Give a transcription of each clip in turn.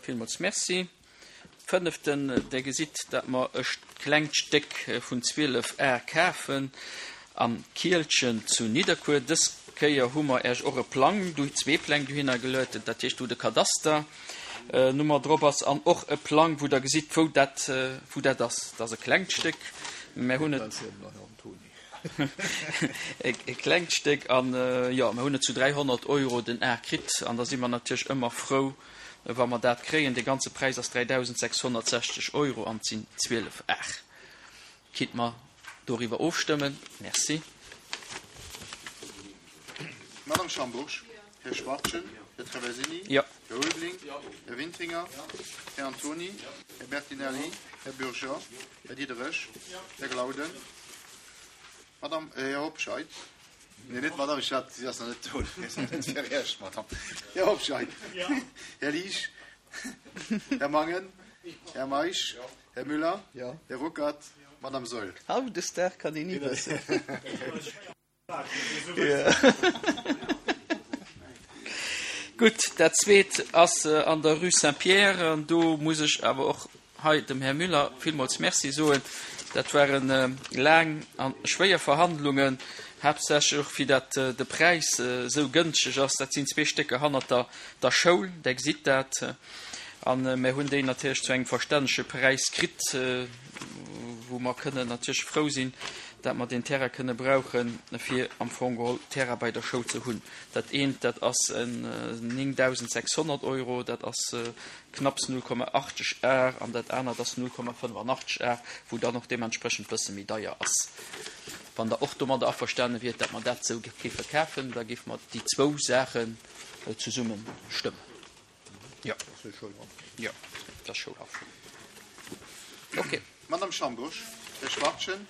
Villmools Merci. Fënneften, Der gesitt, datt mer e klengt Stéck vun 12 Ar kafen am Kielchen zu Nidderkuer. Dës Kéier hu mer Äech och e Plang, zwee Pläng dohinner geluet, dat heescht wou de Kadasternummer drop ass an och e Plang, wou Der gesitt, wou dat, wou dat ass. Dat ass e klengt Stéck, mer hunn et. E klengt Stéck an, jo, mer hunn et zu 300 Euro den Ar kritt an da si mer natierlech ëmmer frou, wa mer dat kréien. De ganze Präis ass 3.660 Euro an et sinn 12 Ar. Kinnt mer doriwwer ofstëmmen? Merci. Madame Schambourg, Här Schwachtgen, Här Traversini, Här Ulveling, Här Wintringer, Här Antony, Här Bertinelli, Här Bürger, Här Diderich, Här Glauden, Madame, Här Hobscheit, nee, net d'Madame, ech hat, si ass nach net do, si ass nach net fir Iech, Madame, Här Hobscheit, Här Liesch, Här Mangen, Här Meisch, Här Müller, Här Ruckert, Madame Saeul. Hautdesdaags kann een ni wëssen. Gutt, dat Zweet ass an der Rue Saint-Pierre. An do muss ech awer och hei dem Här Müller villmools Merci soen. Dat ware laang a schwéier Verhandlungen, haaptsächlech och fir dat de Präis esou gënschteg ass. Dat sinn zwee Stécker hannert der Schoul, Der gesitt dat. A mir hunn déi natierlech zu engem verstännege Präis kritt, wou mer kënnen natierlech frou sinn, dat mer deen Terrain kënne brauchen, fir am Fong geholl Terrain bei der Schoul ze hunn. Dat eent, dat ass en 9.600 Euro, dat ass knapps 0,80 Ar, an dat anert ass 0,85 Ar, wou dann och deementsprechend e bësse méi deier ass. Wann Der och domadder averstane wiert, dat mer dat esou géife kafen, da géife mer déi zwou Saachen zesumme stëmmen. Jo. Jo, dat ass Schoulhaff. Okay. Madame Schambourg, Här Schwachtgen,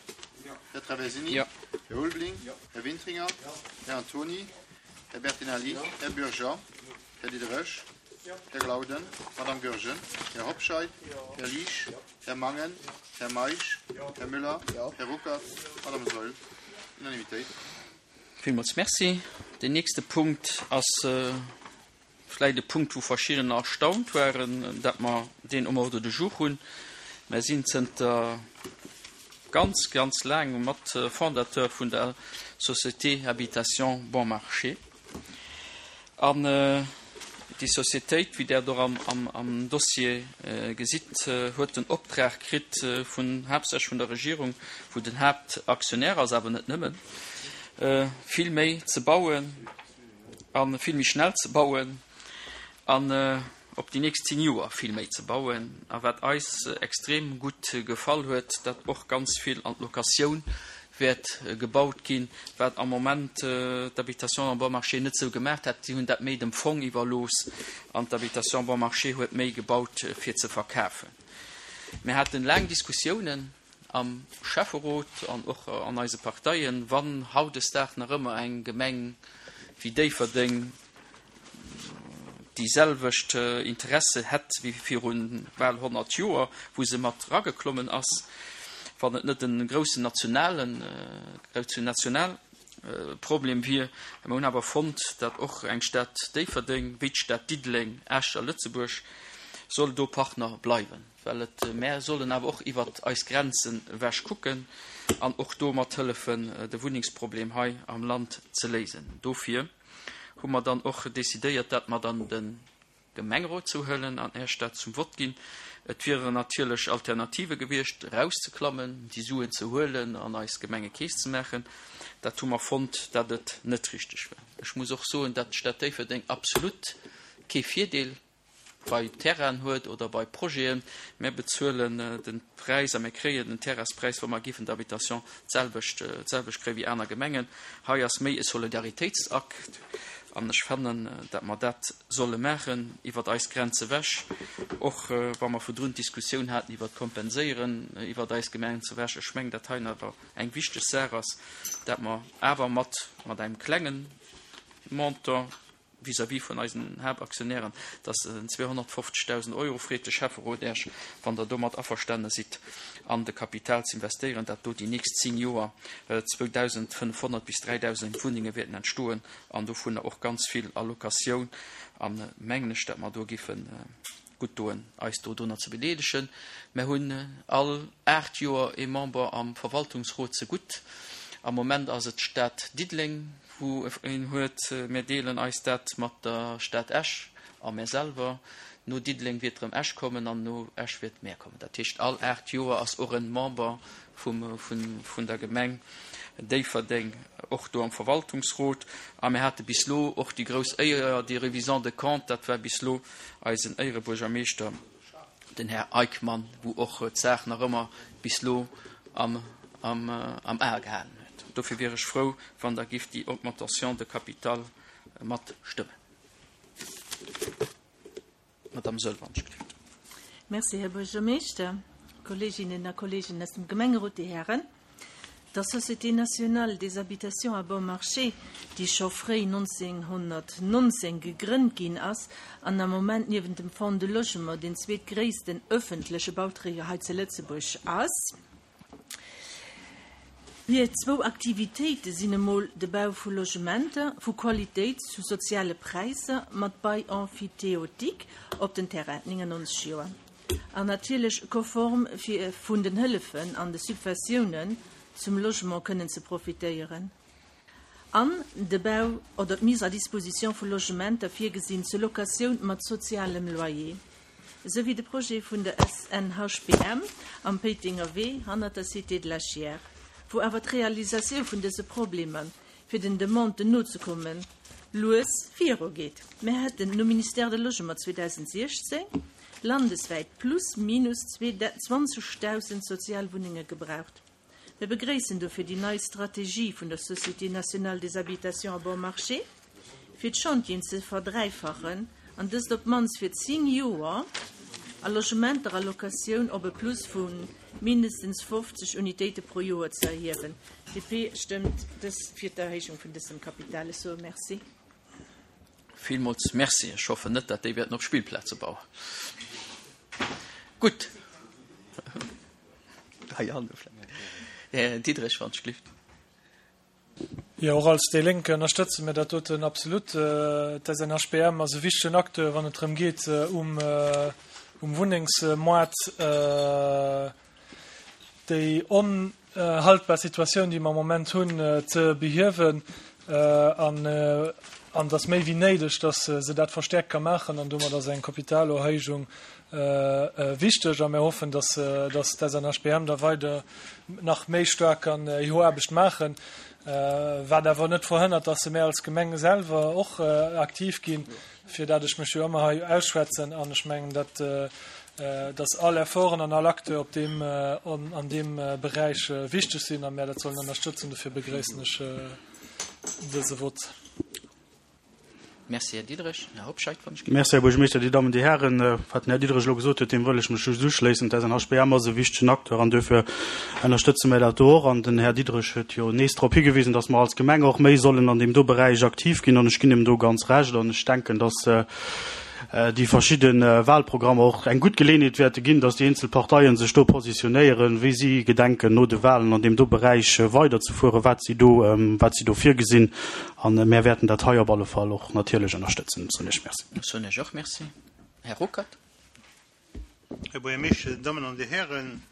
Här Traversini, Här Ulveling, Här Wintringer, Här Antony, Här Bertinelli, Här Bürger, Här Diderich, Här Glauden, Madame Goergen, Här Hobscheit, Här Liesch, Här Mangen, Här Meisch, Här Müller, Här Ruckert, Madame Saeul. Unanimitéit. Villmools Merci. Deen nächste Punkt ass Vläit e Punkt, wou verschiddener erstaunt waren, dat mer deen um Ordre du jour hunn. Mer sinn zënter ganz, ganz laangem mat Fondateur vun der Société Habitation Bon Marché. An déi Sociétéit, wéi Der et och am Dossier gesitt, huet den Optrag kritt vun, haaptsächlech vun der Regierung, wou den Haaptaktionär ass, awer net nëmmen, vill méi ze bauen, a vill méi schnell ze bauen an op déi nächst 10 Joer vill méi ze bauen. A wat eis extrem gutt gefall huet, datt och ganz vill an d'Locatioun wäert gebaut ginn, wat am Moment d'Habitation en bon marché net esou gemaach hat. Si hunn dat méi dem Fong iwwerlooss an d'Habitation bon marché huet méi gebaut fir ze verkafen. Mir haten laang Diskussiounen am Schäfferot an och an eise Parteien, wann hautdesdaags nach ëmmer eng Gemeng wéi Déifferdeng déi selwecht Interesse hätt wéi viru bal 100 Joer, wou se mat erageklommen ass, wann et net e groussen nationalen, groussen national Problem wier. Mer hunn awer fonnt, datt och eng Stad Déifferdeng wéi d'Stad Diddeleng, Esch a Lëtzebuerg soll do Partner bleiwen. Well et, mär sollen awer och iwwert eis Grenzen ewech kucken an och do mat hëllefen, de Wunnengsproblem hei am Land ze léisen. Dofir hu mer dann och decidéiert, dat mer dann de Gemengerot zouhuelen an Äech dat zum Vott ginn. Et wieren natierlech Alternative gewiescht, erauszeklammen, déi Suen ze huelen an eis Gemengekeess ze maachen. Dat hu mer fonnt, dat et net richteg war. Ech muss och soen, dat d'Stad Déifferdeng absolut kee Virdeel bei Terrainen huet oder bei Projeten. Mär bezuelen de Präis a mär kréien den Terrainspräis, wa mer géifen d'Habitation d'selwecht d'selwecht kréien wéi aner Gemengen. Hei ass méi e Solidaritéitsakt an ech fannen, datt mer dat solle maachen iwwert eis Grenze wech, och wa mer virdrun d'Diskussioun haten iwwert d'Kompenséieren iwwert eis Gemenze wech. Ech mengen, datt hei awer eng wichteg Saach ass, datt mer awer mat mat engem klengen Montant, vis-à-vis vun eisen Haaptaktionären, dass en 250.000 Euro, freet de Schäfferot Äech, wann Der domat averstane sidd, an de Kapital ze investéieren, dat do déi nächst 10 Joer 2.500 bis 3.000 Wunnenge wäerten entstoen an dovunner och ganz vill a Locatioun. A mengen ech, dat mer do géifen. gutt doen, eis dodrunner ze bedeelegen. Mär hunn all 8 Joer ee Member am Verwaltungsrot zegutt. Am Moment ass et d'Stad Diddeleng, wou een huet. Mär deelen eis dat mat der Stad Esch a mär selwer. No Diddeleng wiert erëm Esch kommen an no Esch wiert mär kommen. Dat heescht, all 8 Joer ass och e Member vum, vun der Gemeng Déifferdeng och do am Verwaltungsrot. A mir hate bis elo och déi grouss Éier, dee Révisant de comptes, dat war bis elo eisen Éierebuergermeeschter, den Här Eickmann, wou och d'Saach nach ëmmer bis elo am, am, am A gehalen huet. Dofir wier ech frou, wann Der gift déi Augmentation de capital matstëmmen. Madame Sölvanschrift. Merci, Här Buergermeeschter, Kolleeginnen a Kolleegen aus dem Gemengerot, Dir Hären. Der Société nationale des habitations à bon marché, déi scho fréi 1919 gegrënnt ginn ass an am Moment niewent dem Fonds de Logement deen zweetgréissten öffentleche Bauträger hei zu Lëtzebuerg ass, Hir zwou Aktivitéite sinn emol de Bau vu Logementer vu Qualitéit zu soziale Präisser mat Bail emphytéotique op den Terrain, 99 Joer, an natierlech konform fir vun den Hëllefen an de Subventiounen zum Logement kënnen ze profitéieren, an de Bau oder d'Mise à disposition vu Logementer virgesinn zur Locatioun mat sozialem Loyer. Esou wéi de Projet vun der SNHBM am Péitenger Wee hannert der Cité de la Chiers, wou awer d'Realisatioun vun dëse Problemer, fir den Demanden nozekommen, lues virugeet. Mir hätten nom Ministère de Logement 2016 landeswäit plus minus 20.000 Sozialwunnenge gebraucht. Mir begréissen dofir déi nei Strategie vun der Société nationale des habitations à bon marché, fir d'Chantieren ze verdräifachen an dëst op d'mannst fir 10 Joer a Logementer a Locatioun op e Plus vu mindestens 50 Unitéite pro Joer ze erhiewen. DP stëmmt dës fir d'Erhéijung vun dësem Kapital. Ech soe Merci. Villmools Merci. Ech hoffen net, datt déi wäerten op Spillplaze bauen. Gutt. Här Diderich, wann ech glift. Jo, och als déi Lénk ënnerstëtze mir dat doten absolut. D'SNHBM ass e wichtegen Acteur, wann et drëm geet, um Wunnengsmoart déi onhaltbar Situatioun, déi mer am Moment hunn, ze behiewen. An et ass méi wéi néideg, datt se dat verstäerkt ka maachen. An domat ass eng Kapitalerhéijung wichteg a mir hoffen, dass d'SNHBM da weider nach méi staark kann hir Aarbecht maachen, wat awer net verhënnert, dass mär als Gemeng selwer och aktiv ginn, fir dat ech mech jo ëmmer hei ausschwätzen. An ech mengen, dat dass all Efforten an all Acteur op deem, an deem Beräich wichteg sinn a mär dat sollen ënnerstëtzen. Dofir begréissen ech dëse Vott. Merci, Här Diderich. Här Hobscheit, wann ech. Merci, Här Buergermeeschter, Dir Dammen, Dir Hären. Wat den Här Diderich elo gesot huet, deem wëll ech mech just uschléissen. D'SNHBM ass e wichtegen Acteur an duerfir ënnerstëtze mir dat do och. An den Här Diderich huet jo nees drop higewisen, dass mer als Gemeng och méi sollen an deem do Beräich aktiv ginn. An ech ginn him do ganz Recht. An ech denken, dass déi verschidde Wahlprogrammer och eng gutt Geleeënheet wäerte ginn, dass déi eenzel Parteien sech do positionéieren, wéi si gedenken, no de Wahlen an deem do Beräich weiderzefueren, wat si do, wat si do virgesinn. A mär wäerten dat hei op alle Fall och natierlech ënnerstëtzen. Soen ech Merci. Soen ech och Merci. Här Ruckert. Här Buergermeeschter, Dir Dammen an Dir Hären,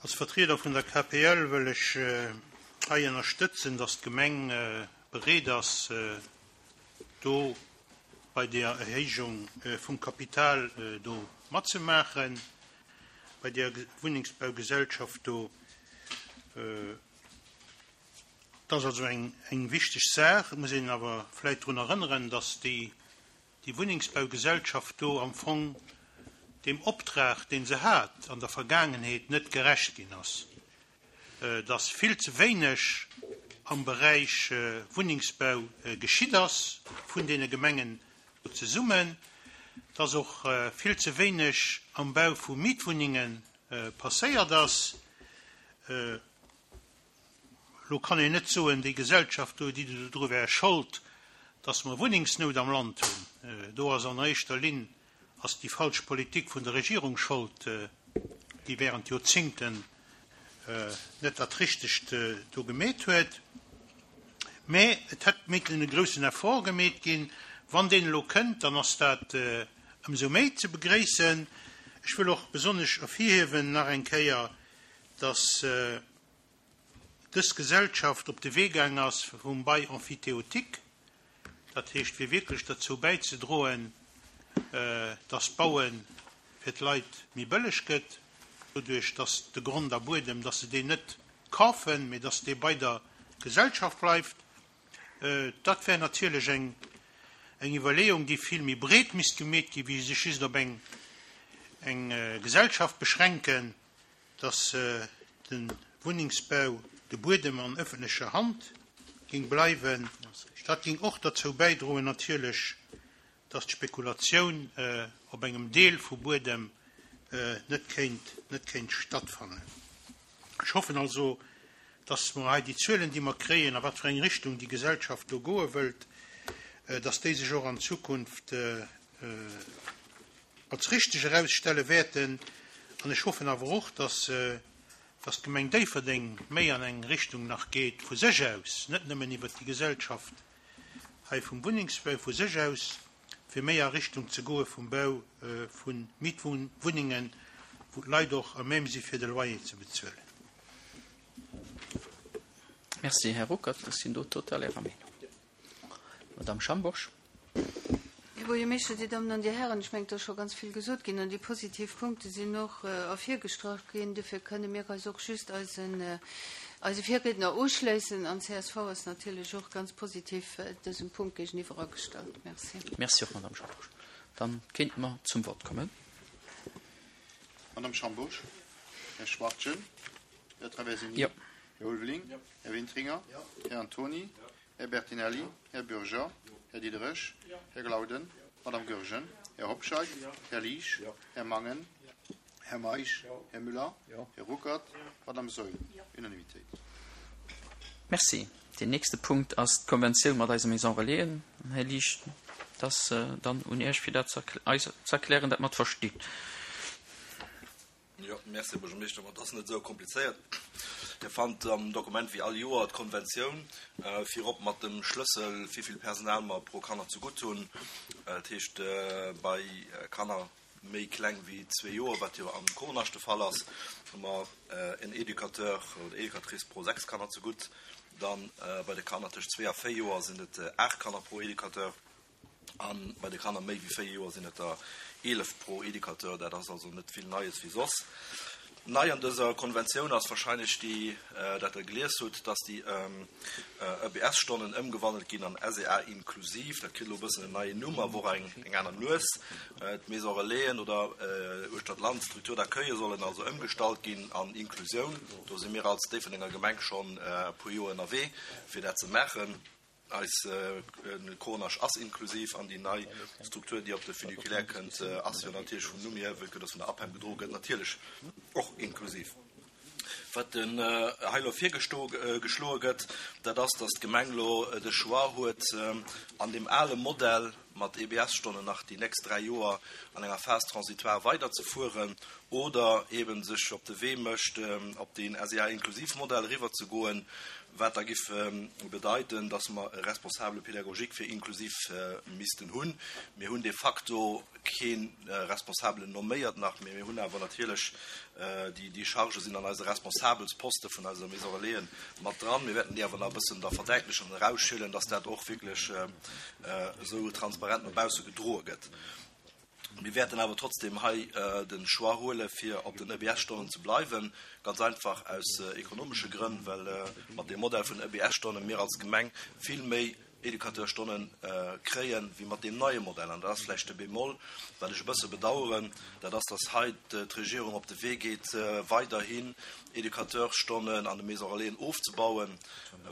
als Vertrieder vun der KPL wëll ech hei ënnerstëtzen, dass d'Gemeng bereet ass, do bei där Erhéijung vum Kapital do matzemaachen, bei där Wunnengsbaugesellschaft do. Et ass also eng wichteg Saach. Et muss een awer vläicht drun erënneren, dass déi Wunnengsbaugesellschaft do am Fong deem Optrag, dee se hat an der Vergaangenheet, net gerecht ginn ass, dass vill ze wéineg am Beräich Wunnengsbau geschitt ass vun deene Gemengen zesummen, dass och vill ze wéineg am Bau vu Mietwunnenge passéiert ass. Elo kann een net soen, déi Gesellschaft do, déi dodru wär Schold, datt mer Wunnengsnout am Land hunn. Do ass an éischter Linn ass déi falsch Politik vun der Regierung Schold, déi während Joerzingten net dat Richtegt do gemeet huet. Mä et hätt missen e groussen Effort gemeet ginn. Wann deen elo kënnt, dann ass dat. Ëmsou méi ze begréissen. Ech wëll och besonnesch ervirhiewen nach eng Kéier, dass dës Gesellschaft op de Wee gaang ass vum Bail emphytéotique, dat heescht fir wierklech derzou bäizedroen, dass d'Baue fir d'Leit méi bëlleg gëtt, doduerch dass de Grond a Buedem, dass se deen net kafen, mee dass dee bei der Gesellschaft bleift. Dat wär natierlech eng Iwwerleeung, déi vill méi breet misst gemeet ginn, wéi sech just op eng Gesellschaft beschränken, dass de Wunnengsbau, de Buedem an ëffentlecher Hand géing bleiwen. Dat géing och derzou bäidroen natierlech, dass d'Spekulatioun op engem Deel vu Buedem net kéint, net kéint stattfannen. Ech hoffen also, dass mer hei déi Zuelen, déi mer kréien, a wat fir eng Richtung déi Gesellschaft do goe wëllt, dass déi sech och an Zukunft als richteg erausstelle wäerten. An ech hoffen awer och, dass, dass d'Gemeng Déifferdeng méi an eng Richtung nach geet vu sech aus, net nëmmen iwwert déi Gesellschaft hei vum Wunnengsbau, vu sech aus, fir méi a Richtung ze goe vum Bau vu Mietwunnengen, wou d'Leit och à même si fir de Loyer ze bezuelen. Merci, Här Ruckert. Ech sinn do total Ärer Meenung. Madame Schambourg. Här Buergermeeschter, Dir Dammen an Dir Hären, ech mengen, et ass scho ganz vill gesot ginn an déi positiv Punkte sinn och ervirgestrach ginn. Dofir kënne mir eis och just eisen, eise Virriedner uschléissen an csv ass natierlech och ganz positiv dësem Punkt géigeniwwer agestallt. Merci. Merci och, Madame Schambourg. Dann kéinte mer zum Vott kommen. Madame Schambourg, Här Schwachtgen, Här Traversini, Jo. Här Ulveling, Här Wintringer, Här Antoni, Här Bertinelli, Här Bürger, Här Diderich, Här Glauden, Madame Goergen, Här Hobscheit, Här Liesch, Här Mangen, Här Meisch, Här Müller, Här Ruckert, Madame Saeul. Unanimitéit. Merci. Deen nächste Punkt ass d'Konventioun mat eise Maison Relaisen. Här Liesch, et ass dann un Iech, fir dat eis ze erklären, dat mer et verstinn. Jo, merci, Här Buergermeeschter. Ma et ass net esou komplizéiert. Dir fannt am Dokument wéi all Joer d'Konventioun, virop mat dem Schlëssel, wéivill Personal mer pro Kanner zegutt hunn. Dat heescht, bei Kanner méi kleng wéi zwee Joer, wat jo am Cournascht de Fall ass, hu mer en Educateur oder Educatrice pro sechs Kanner zegutt. Dann bei de Kanner tëscht zwee a véier Joer sinn et aacht Kanner pro Educateur. A bei de Kanner méi wéi 4 Joer sinn et der 11 pro Educateur. Dat ass also net vill Neies wéi soss. Nei an dëser Konventioun ass wahrscheinlech déi, dat Der gelies hutt, dass déi EBS-Stonnen ëmgewandelt ginn an SEA inklusiv. Dat kritt elo e bëssen en neien Numm, awer och eng aner Nues. D'Maisons Relaisen oder uechter d'Land, d'Structures d'accueille sollen also ëmgestallt ginn an Inklusioun. Do si mir als Déifferdenger Gemeng schonn e puer Joer ënnerwee, fir dat ze maachen. Eis Cornage ass inklusiv an déi nei Struktur, déi op de Funiculaire kënnt, ass jo natierlech vum Numm hier, vue que dass vun der APEM gedroe gëtt, natierlech och inklusiv. Wat hei elo virgeschloe gëtt, dat ass, dass d'Gemeng elo de Choix huet, an deem ale Modell mat EBS-Stonnen nach déi nächst 3 Joer an enger Phase transitoire weiderzefueren oder eeben sech op de Wee mécht, op deen SEA-Inklusiv-Modell eriwwerzegoen, wat da giff bedeiten, dass mer e Responsable pédagogique fir inklusiv missten hunn. Mir hunn de facto kee Responsabelen nomméiert nach, mee mir hunn awer natierlech déi Chargë sinn an eise Responsabelsposte vun eiser Maison Relaisen mat dran. Mir wäerten déi awer nach e bëssen da verdäitlechen an erausschillen, dass dat och wierklech esou transparent no bausse gedroe gëtt. Mir wäerten awer trotzdem hei de Choix huele fir op den EBS-Stonnen ze bleiwen, ganz einfach aus ekonomesche Grënn, well mat deem Modell vun EBS-Stonne mir als Gemeng vill méi Educateursstonne kréien, wéi mat deem neie Modell. An dat ass vläicht de Bémol, wat ech e bësse bedauern, dat ass, dass hei d'Regierung op de Wee geet, weiderhin Educateurstonnen an de Maisons Relaisen ofzebauen,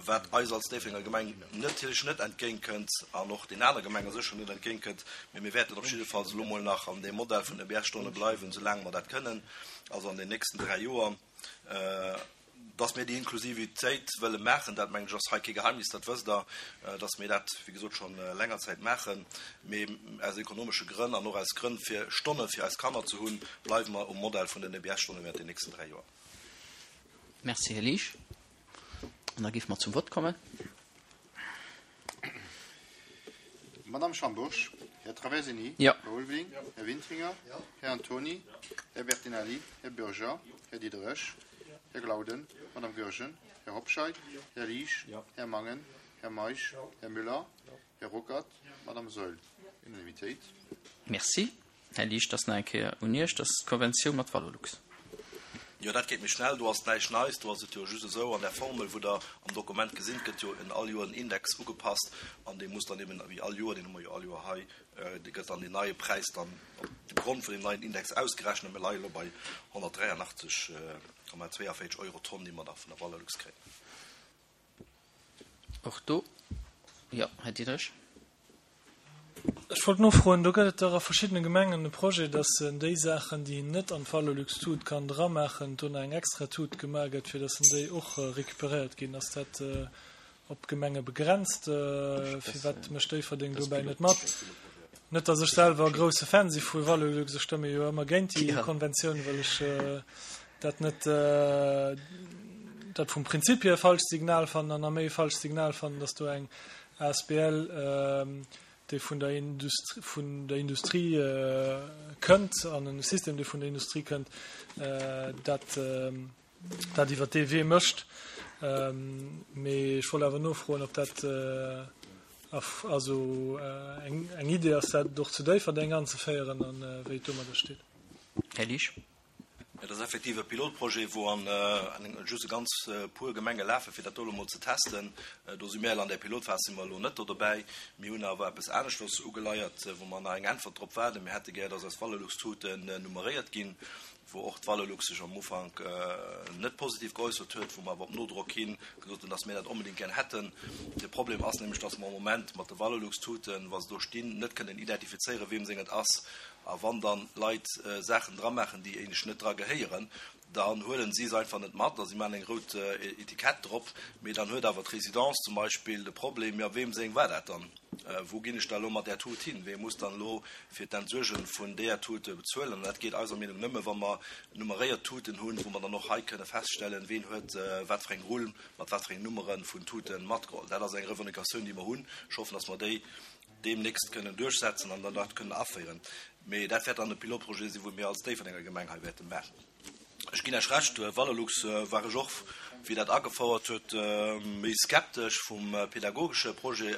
wat eis als Déifferdenger Gemeng natierlech net entgéintkënnt an och den aner Gemenge sécher net entgéintkënnt. Mee mir wäerten op jiddefalls elo mol nach an deem Modell vun EBS-Stonne bleiwen, soulaang mer dat kënnen, also an den nächsten 3 Joer. Dass mir déi Inklusivitéit wëlle maachen, dat mengen ech ass hei kee Geheimnis, dat wësst Der, dass mir dat, wéi gesot, scho länger Zäit maachen. Mee aus ekonomesche Grënn an och aus Grënn fir Stonne fir eis Kanner ze hunn, bleiwe mer um Modell vun den EBS-Stonne während den nächsten 3 Joer. Merci, Här Liesch. An da géife mer zum Vott kommen. Madame Schambourg, Här. Här Traversini. Jo. Här Ulveling. Här Wintringer. Här Antoni. Här Bertinelli. Här Bürger. Här Diderich. Här Glauden. Madame Goergen. Här Hobscheit. Här Liesch. Här Mangen. Här Meisch. Här Müller. Här Ruckert. Madame Saeul. Unanimitéit. Merci. Här Liesch, dat ass nach eng Kéier un Iech. Dat ass d'Konventioun mat Valorlux. Jo, dat geet méi schnell. Do ass näischt Neies. Do ass et jo just esou, an där Formel, wou Der am Dokument gesinn, gëtt jo en all Joer en Index ugepasst an dee muss dann eben wéi all Joer, deen hu mer jo all Joer hei, dee gëtt dann deen neie Präis dann op dem Grond vun deem neien Index ausgerechent. A mir leie elo bei 183,42 Euro d'Tonn, déi mer da vun der Valorlux kréien. Och do, jo, Här Diderich. Ech wollt nofroen, do gëtt et dach a verschiddene Gemengen e Projet, dass en déi Saachen, déi een net an d'Valorlux-Tut kann dramaachen, do nach eng extra Tut gemaach gëtt, fir dass en déi och récupéréiert ginn. Ass dat op d'Gemenge begrenzt? Firwat mécht Déifferdeng dobäi net mat? Net, dass ech selwer e grousse Fan si vu Valorlux, ech stëmme jo ëmmer géint déi Konventioun, well ech dat net, dat vum Prinzip hier e falscht Signal fannen an nach méi e falscht Signal fannen, dass do eng Asbl, déi vun der Industrie, vun der Industrie kënnt an e System, dee vun der Industrie kënnt, dat, dat iwwer dee Wee mécht. Mee ech wollt awer nofroen, ob dat also eng Idee ass, dat och zu Déifferdeng anzeféieren a wéi et domadder steet. Här Liesch. Et ass effektiv e Pilotprojet, wou an just e ganz puer Gemenge lafen, fir dat do elo mol ze testen. Do si mir elo an där Pilotphas si mer elo net do dobäi. Mir hunn awer eppes aneschters ugeleiert, wou mer nach eng Äntwert drop waarden. Mir hätte gär, dass eis Valorlux-Tuten nummeréiert ginn, wou och d'Valorlux sech am Ufank net positiv geäussert huet, wou mer awer op Nodrock hi gesot hunn, dass mir dat onbedéngt gär hätten. De Problem ass nämlech, dass mer am Moment mat de Valorlux-Tuten, wa se do stinn, net kënnen identifizéieren, weem seng et ass. A wann dann Leit Saachen dra maachen, déi éinescht net dra gehéieren, dann huelen si se einfach net mat a si maachen eng rout Etikett drop. Mee dann huet awer d'Résidence zum Beispill de Problem, jo weem seng war dat dann? Wou ginn ech da elo mat där Tut hin? Wee muss dann elo fir d'Entsuerge vun deeër Tut bezuelen? An dat geet eiser Meenung nëmme wa mer nummeréiert Tuten hunn, wou mer dann och hei kënne feststellen, ween huet wat fir eng Rull mat wat fir eng Nummere vun Tute matgeholl. Dat ass eng Revendicatioun, déi mer hunn. Ech hoffen, datt mer déi deemnächst kënnen duerchsetzen an dann dat kënnen aféieren. Mee dat wäert dann e Pilotprojet sinn, wou mir als Déifferdenger Gemeng hei wäerte maachen. Ech ginn Iech Recht, Valorlux war ech och, wéi dat agefouert huet, méi skeptesch. Vum pädagogesche Projet,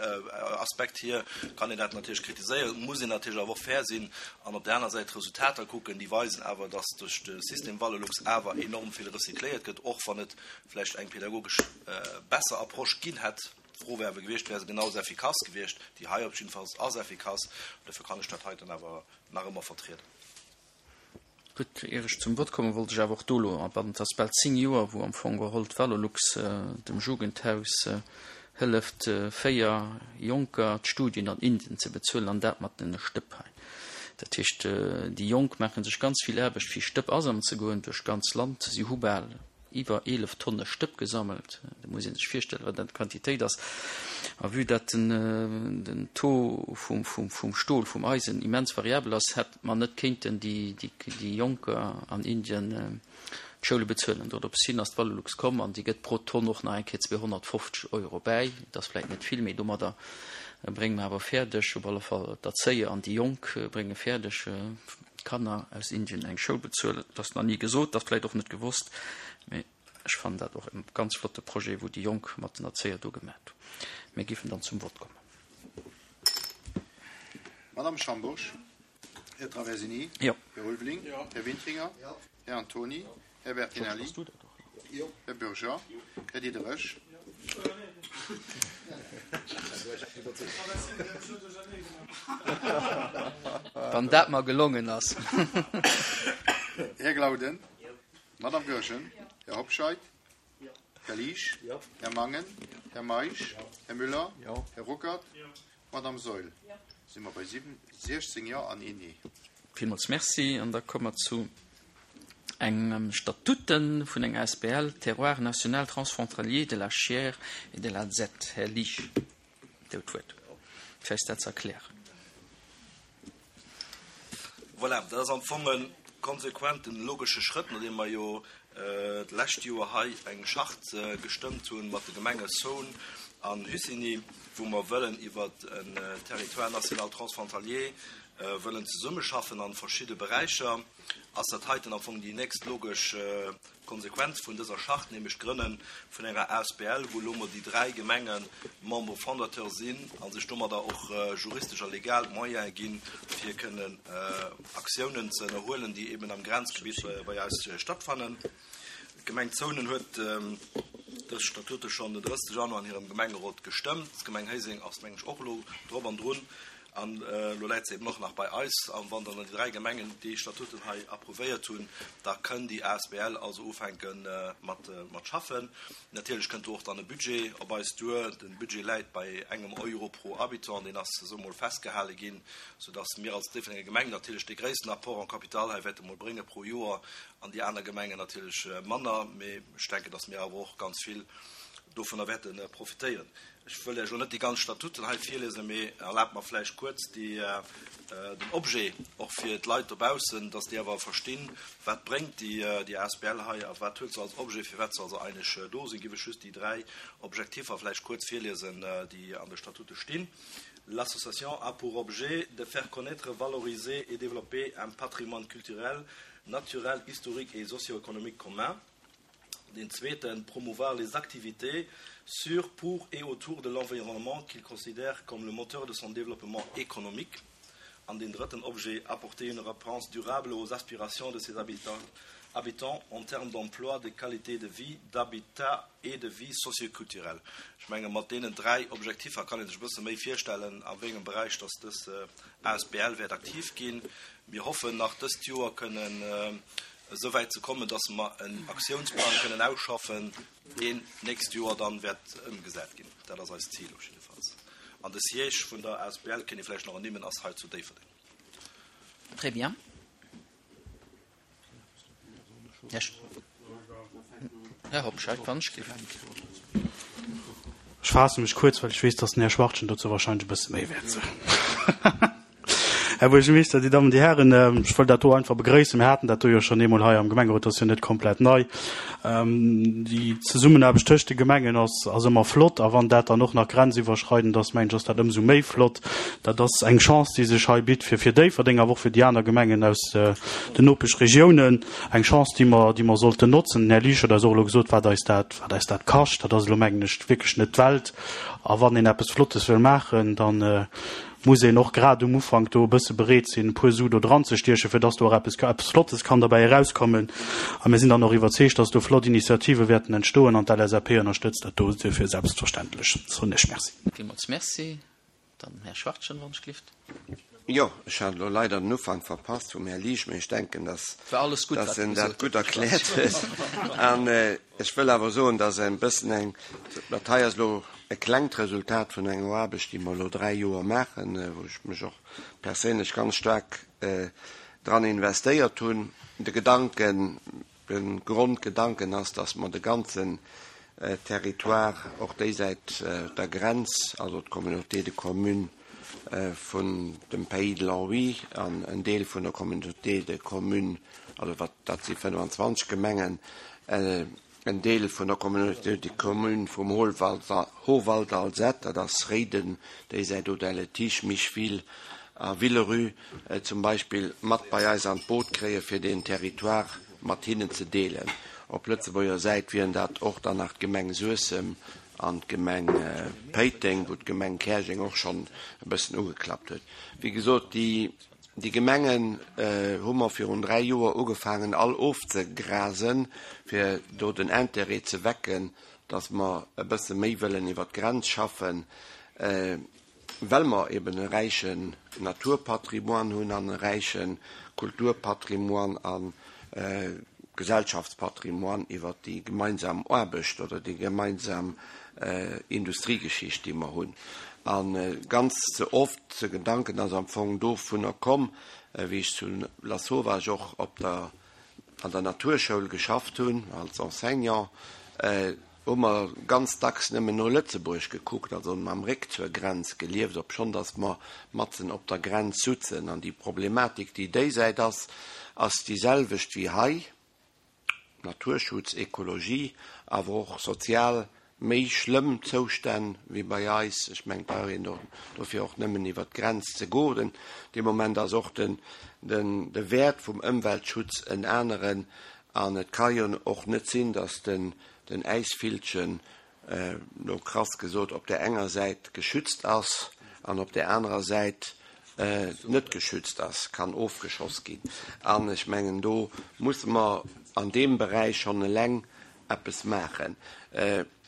Aspekt hier kann een dat natierlech kritiséieren, muss een natierlech awer och fair sinn an op där aner Säit d'Resultater kucken. Déi weisen awer, dass duerch de System Valorlux awer enorm vill recycléiert gëtt, och wann et vläicht eng pädagogesch besser Approche ginn hätt. D'Fro wär awer gewiescht, Wär se genau esou effikass gewiescht? Déi hei op jiddefalls ass effikass. Dofir kann ech dat heiten awer nach ëmmer vertrieden. Gutt, ier ech zum Vott kommen, wollt ech awer och do elo abannen, Et ass bal 10 Joer, wou am Fong geholl d'Valorlux dem Jugendhaus hëlleft, 4 Jonker d'Studien an Indien ze bezuelen, an dat mat den Stëpp hei. Dat heescht, déi Jonk maache sech ganz vill Aarbecht, fir Stëpp asammeln ze goen duerch d'ganz Land. Si hu bal iwwer 11 Tonne Stëpp gesammelt. Do muss ee sech virstellen, wat dat Quantitéit ass. A vue dat den Taux vum Stol, vum Eisen immens variabel ass, hätt mer net kéinten déi Jonker an Indien d'Schoule bezuelen. Dorops hin ass d'Valorlux komm an déi gëtt pro Tonn och nach eng Kéier 250 Euro bäi. Dat ass vläicht net vill, mee domadder brénge mer awer fäerdeg, op alle Fall d'Erzéier an déi Jonk brénge fäerdeg, Kanner aus Indien eng Schoul bezuelen. Dat ass nach ni gesot, dat ass vläicht och net gewosst, mee ech fannen dat och e ganz flotte Projet, wou déi Jonk mat den Erzéier do gemat hunn. Mir géifen dann zum Vott kommen. Madame Schambourg, Här Traversini, Jo. Här Ulveling, Här Wintringer, Här Antoni, Här Bertinelli, Här Bürger, Här Diderich. Wann dat mer gelongen ass. Här Glauden, Madame Goergen, Här Hobscheit, Här Liesch, Här Mangen, Här Meisch, Här Müller, Här Ruckert, Madame Saeul. Si mer bei 16 Jo an een Nee. Villmools Merci. An da komme mer zu engem Statuten vun enger asbl, Terroir national transfrontalier de la Chiers et de la Zette. Här Liesch, Dir hutt d'Wuert, fir eis dat ze erklären. Voilà, dat ass am Fong e konsequenten, logesche Schrëtt, nodeem mer jo d'lescht Joer hei eng Charte gestëmmt hu mat de Gemenge Saône. An Hussigny, wou mer wëllen iwwer en Territoire national transfrontalier wëllen zesummeschaffen an verschidde Beräicher, ass dat heiten am Fong déi nächst logesch Konsequenz vun dëser Charte, nämlech d'Grënne vun enger asbl, wou elo mol déi dräi Gemenge Membres fondateurs sinn a sech domadder och juristesch a legal d'Moyene ginn, fir kënnen Aktiounen ze ënnerhuelen, déi eben am Grenzgebitt bei eis stattfannen. D'Gemeng Zounen huet dës Statute schonn den 30 Januar an hirem Gemengerot gestëmmt. D'Gemeng Héiseng ass, mengen ech, och elo drop an drun. An elo läit se eben och nach bei eis. A wann dann déi dräi Gemengen déi Statuten hei approuvéiert hunn, da kënn déi asbl also ufänke mat mat schaffen. Natierlech kënnt do och dann e Budget op eis duer. De Budget läit bei engem Euro pro Habitant, deen ass esou emol festgehale ginn, soudass mir als Déifferdenger Gemeng natierlech dee gréissten Apport en capital hei wäerte mol brénge pro Joer an déi aner Gemengen natierlech manner. Mee ech denken, dass mir awer och ganz vill dovunner wäerte profitéieren. Ech wëll Iech elo net déi ganz Statuten hei virliesen, mee erlaabt mer vläicht kuerz déi, den Objet och fir d'Leit dobaussen, dass déi awer verstinn, wat bréngt déi, déi asbl hei a wat huet se als Objet, firwat se also eigentlech do sinn. Giff ech just déi dräi Objektiffer vläicht kuerz virliesen, déi an de Statute stinn. L'association a pour objet de faire connaître, valoriser et développer un patrimoine culturel, naturel, historique et socio-économique commun. Den zweeten, promouvoir les activités sur, pour et autour de l'environnement qu'il considère comme le moteur de son développement économique. An den drëtten Objet, apporter une réponse durable aux aspirations de ses habitants, habitants en termes d'emploi, de qualité de vie, d'habitat et de vie socioculturelle. Ech menge mat deenen dräi Objektiffer kann ee sech e bësse méi virstellen, a wéi engem Beräich dass dës asbl wäert aktiv ginn. Mir hoffen nach dëst Joer kënnen esou wäit ze kommen, dass mer en Aktiounsplang kënnen ausschaffen, deen d'nächst Joer dann wäert ëmgesat ginn. Dat ass eist Zil op jiddefalls. An de Siège vun der asbl, kéint ee vläicht nach ernimmen, ass hei zu Déifferdeng. Très bien. Här Hobscheit, wann ech géif. Ech faasse mech kuerz, well ech weess, dass den Här Schwachtgen dozou wahrscheinlech e bësse méi wäert soen. Här Buergermeeschter, Dir Dammen, Dir Hären, ech wëll dat do einfach begrëissen. Mir haten dat do jo schonn eemol hei am Gemengerot, dat ass jo net komplett nei. Déi Zesummenaarbecht tëscht de Gemengen ass, ass ëmmer flott a wann dat dann och nach grenziwwerschreidend ass, mengen ech, ass dat ëmsou méi flott. Dat ass eng Chance, déi sech hei bitt fir, fir Déifferdeng, awer och fir déi aner Gemengen aus den Nopeschregiounen. Eng Chance, déi mer, déi mer sollten notzen. Den Här Liesch huet eis och elo gesot, wat eis dat, wat eis dat kascht. Dat ass elo, mengen ech, wierklech net d'Welt. A wann een eppes Flottes wëll maachen, dann, muss een och grad um Ufank do e bësse bereet sinn, e puer Su do dran ze stiechen, fir dass do och eppes, eppes Flottes kann derbäi erauskommen. A mir sinn dann och iwwerzeegt, dass do flott Initiative wäerten entstoen an d'LSAP ënnerstëtzt dat do duerfir selbstverständlech. Soen ech Merci. Villmools Merci. Dann Här Schwachtgen, wann ech glift. Jo, ech hat elo leider den Ufank verpasst vum Här Liesch, mee ech denken, dass, War alles gutt, dass wat en e dat gesot gutt huet, Här erkläert Schwachtgen. huet. An ech wëll awer soen, dass e bëssen eng, dat hei ass elo e klengt Resultat vun enger Aarbecht, déi mer elo dräi Joer maachen, wou ech mech och perséinlech ganz staark dran investéiert hunn. De Gedanken, de Grondgedanken ass, dass mer de ganzen Territoire, och déi Säit der Grenz, also d'Communauté de communes vun dem Pays de l'Enrouy an en Deel vun der Communauté de communes, also wat, dat si 25 Gemengen, En Deel vun der Communauté de communes vum Hohwald-Alzette, dat ass Réiden, déi Säit Audun-le-Tiche, Micheville a Villerupt zum Beispill, mat bei eis an d'Boot kréien, fir deen Territoire mat hinnen ze deelen. Op Lëtzebuerger Säit wieren dat och dann nach d'Gemeng Suessem an d'Gemeng Péiteng, wou d'Gemeng Käerjeng och schonn e bëssen ugeklappt huet. Wéi gesot, déi Déi Gemengen hu mer virun 3 Joer ugefaangen all ofzegrasen, fir do den Intérêt ze wecken, datt mer e bësse méi wëllen iwwer d'Grenz schaffen, well mer eben e räichen Naturpatrimoine hunn an e räiche Kulturpatrimoine a Gesellschaftspatrimoine iwwer déi gemeinsam Aarbecht oder déi gemeinsam Industriegeschicht, déi mer hunn. A ganz ze oft, de Gedanken ass am Fong dovunner komm, wéi ech zu Lasauvage och op der, an der Naturschoul geschafft hunn als Enseignant, hu mer ganz dacks nëmmen no Lëtzebuerg gekuckt, also mam Réck zur Grenz gelieft, obschonn datt mer matzen op der Grenz sutzen. An déi Problematik, déi déisäit ass, ass déi selwecht wéi hei, Naturschutz, Ekologie, awer och sozial. méi schlëmm Zoustänn wéi bei eis. Ech mengen, et brauch een dofir och nëmmen iwwert d'Grenz ze goen. Dee Moment ass och den, de Wäert vum Ëmweltschutz en aneren. An et ka jo och net sinn, datt den, den Äisvillchen, elo krass gesot, op där enger Säit geschützt ass an op där anerer Säit net geschützt ass, kann ofgeschoss ginn. An ech mengen, do musse mer an deem Beräich schonn eleng eppes maachen.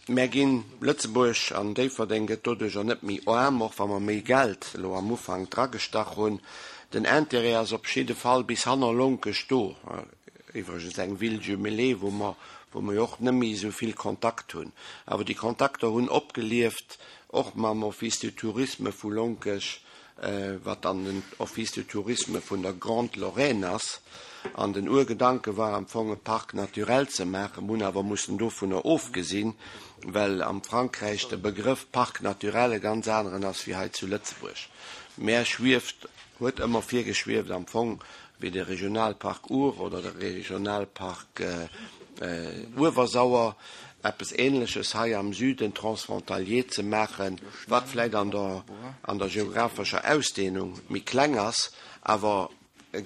Mär ginn, Lëtzebuerg an Déifferdeng gëtt doduercher net méi aarm, och wa mer méi Geld elo am Ufank dragestach hunn. Den Intérêt ass op jidde Fall bis hanner Lonkech do. Iwwregens eng Ville jumelée, wou mer, wou mer jo och net méi esou vill Kontakt hunn. Awer déi Kontakter hunn opgelieft, och mam Office du Tourisme vu Lonkech, wat dann den Office du Tourisme vun der Grande Lorraine ass. An den Urgedanke war am Fong e Parc naturel ze maachen. Mir hunn awer mussen dovunner ofgesinn, well am Frankräich de Begrëff Parc naturel e ganz aneren ass wéi hei zu Lëtzebuerg. Mär schwieft, huet ëmmer virgeschwieft am Fong wéi de Regionalpark Our oder de Regionalpark Uewersauer, eppes Ähnleches hei am Süden transfrontalier ze maachen, wat vläicht an der an der geographescher Ausdehnung méi kleng ass, awer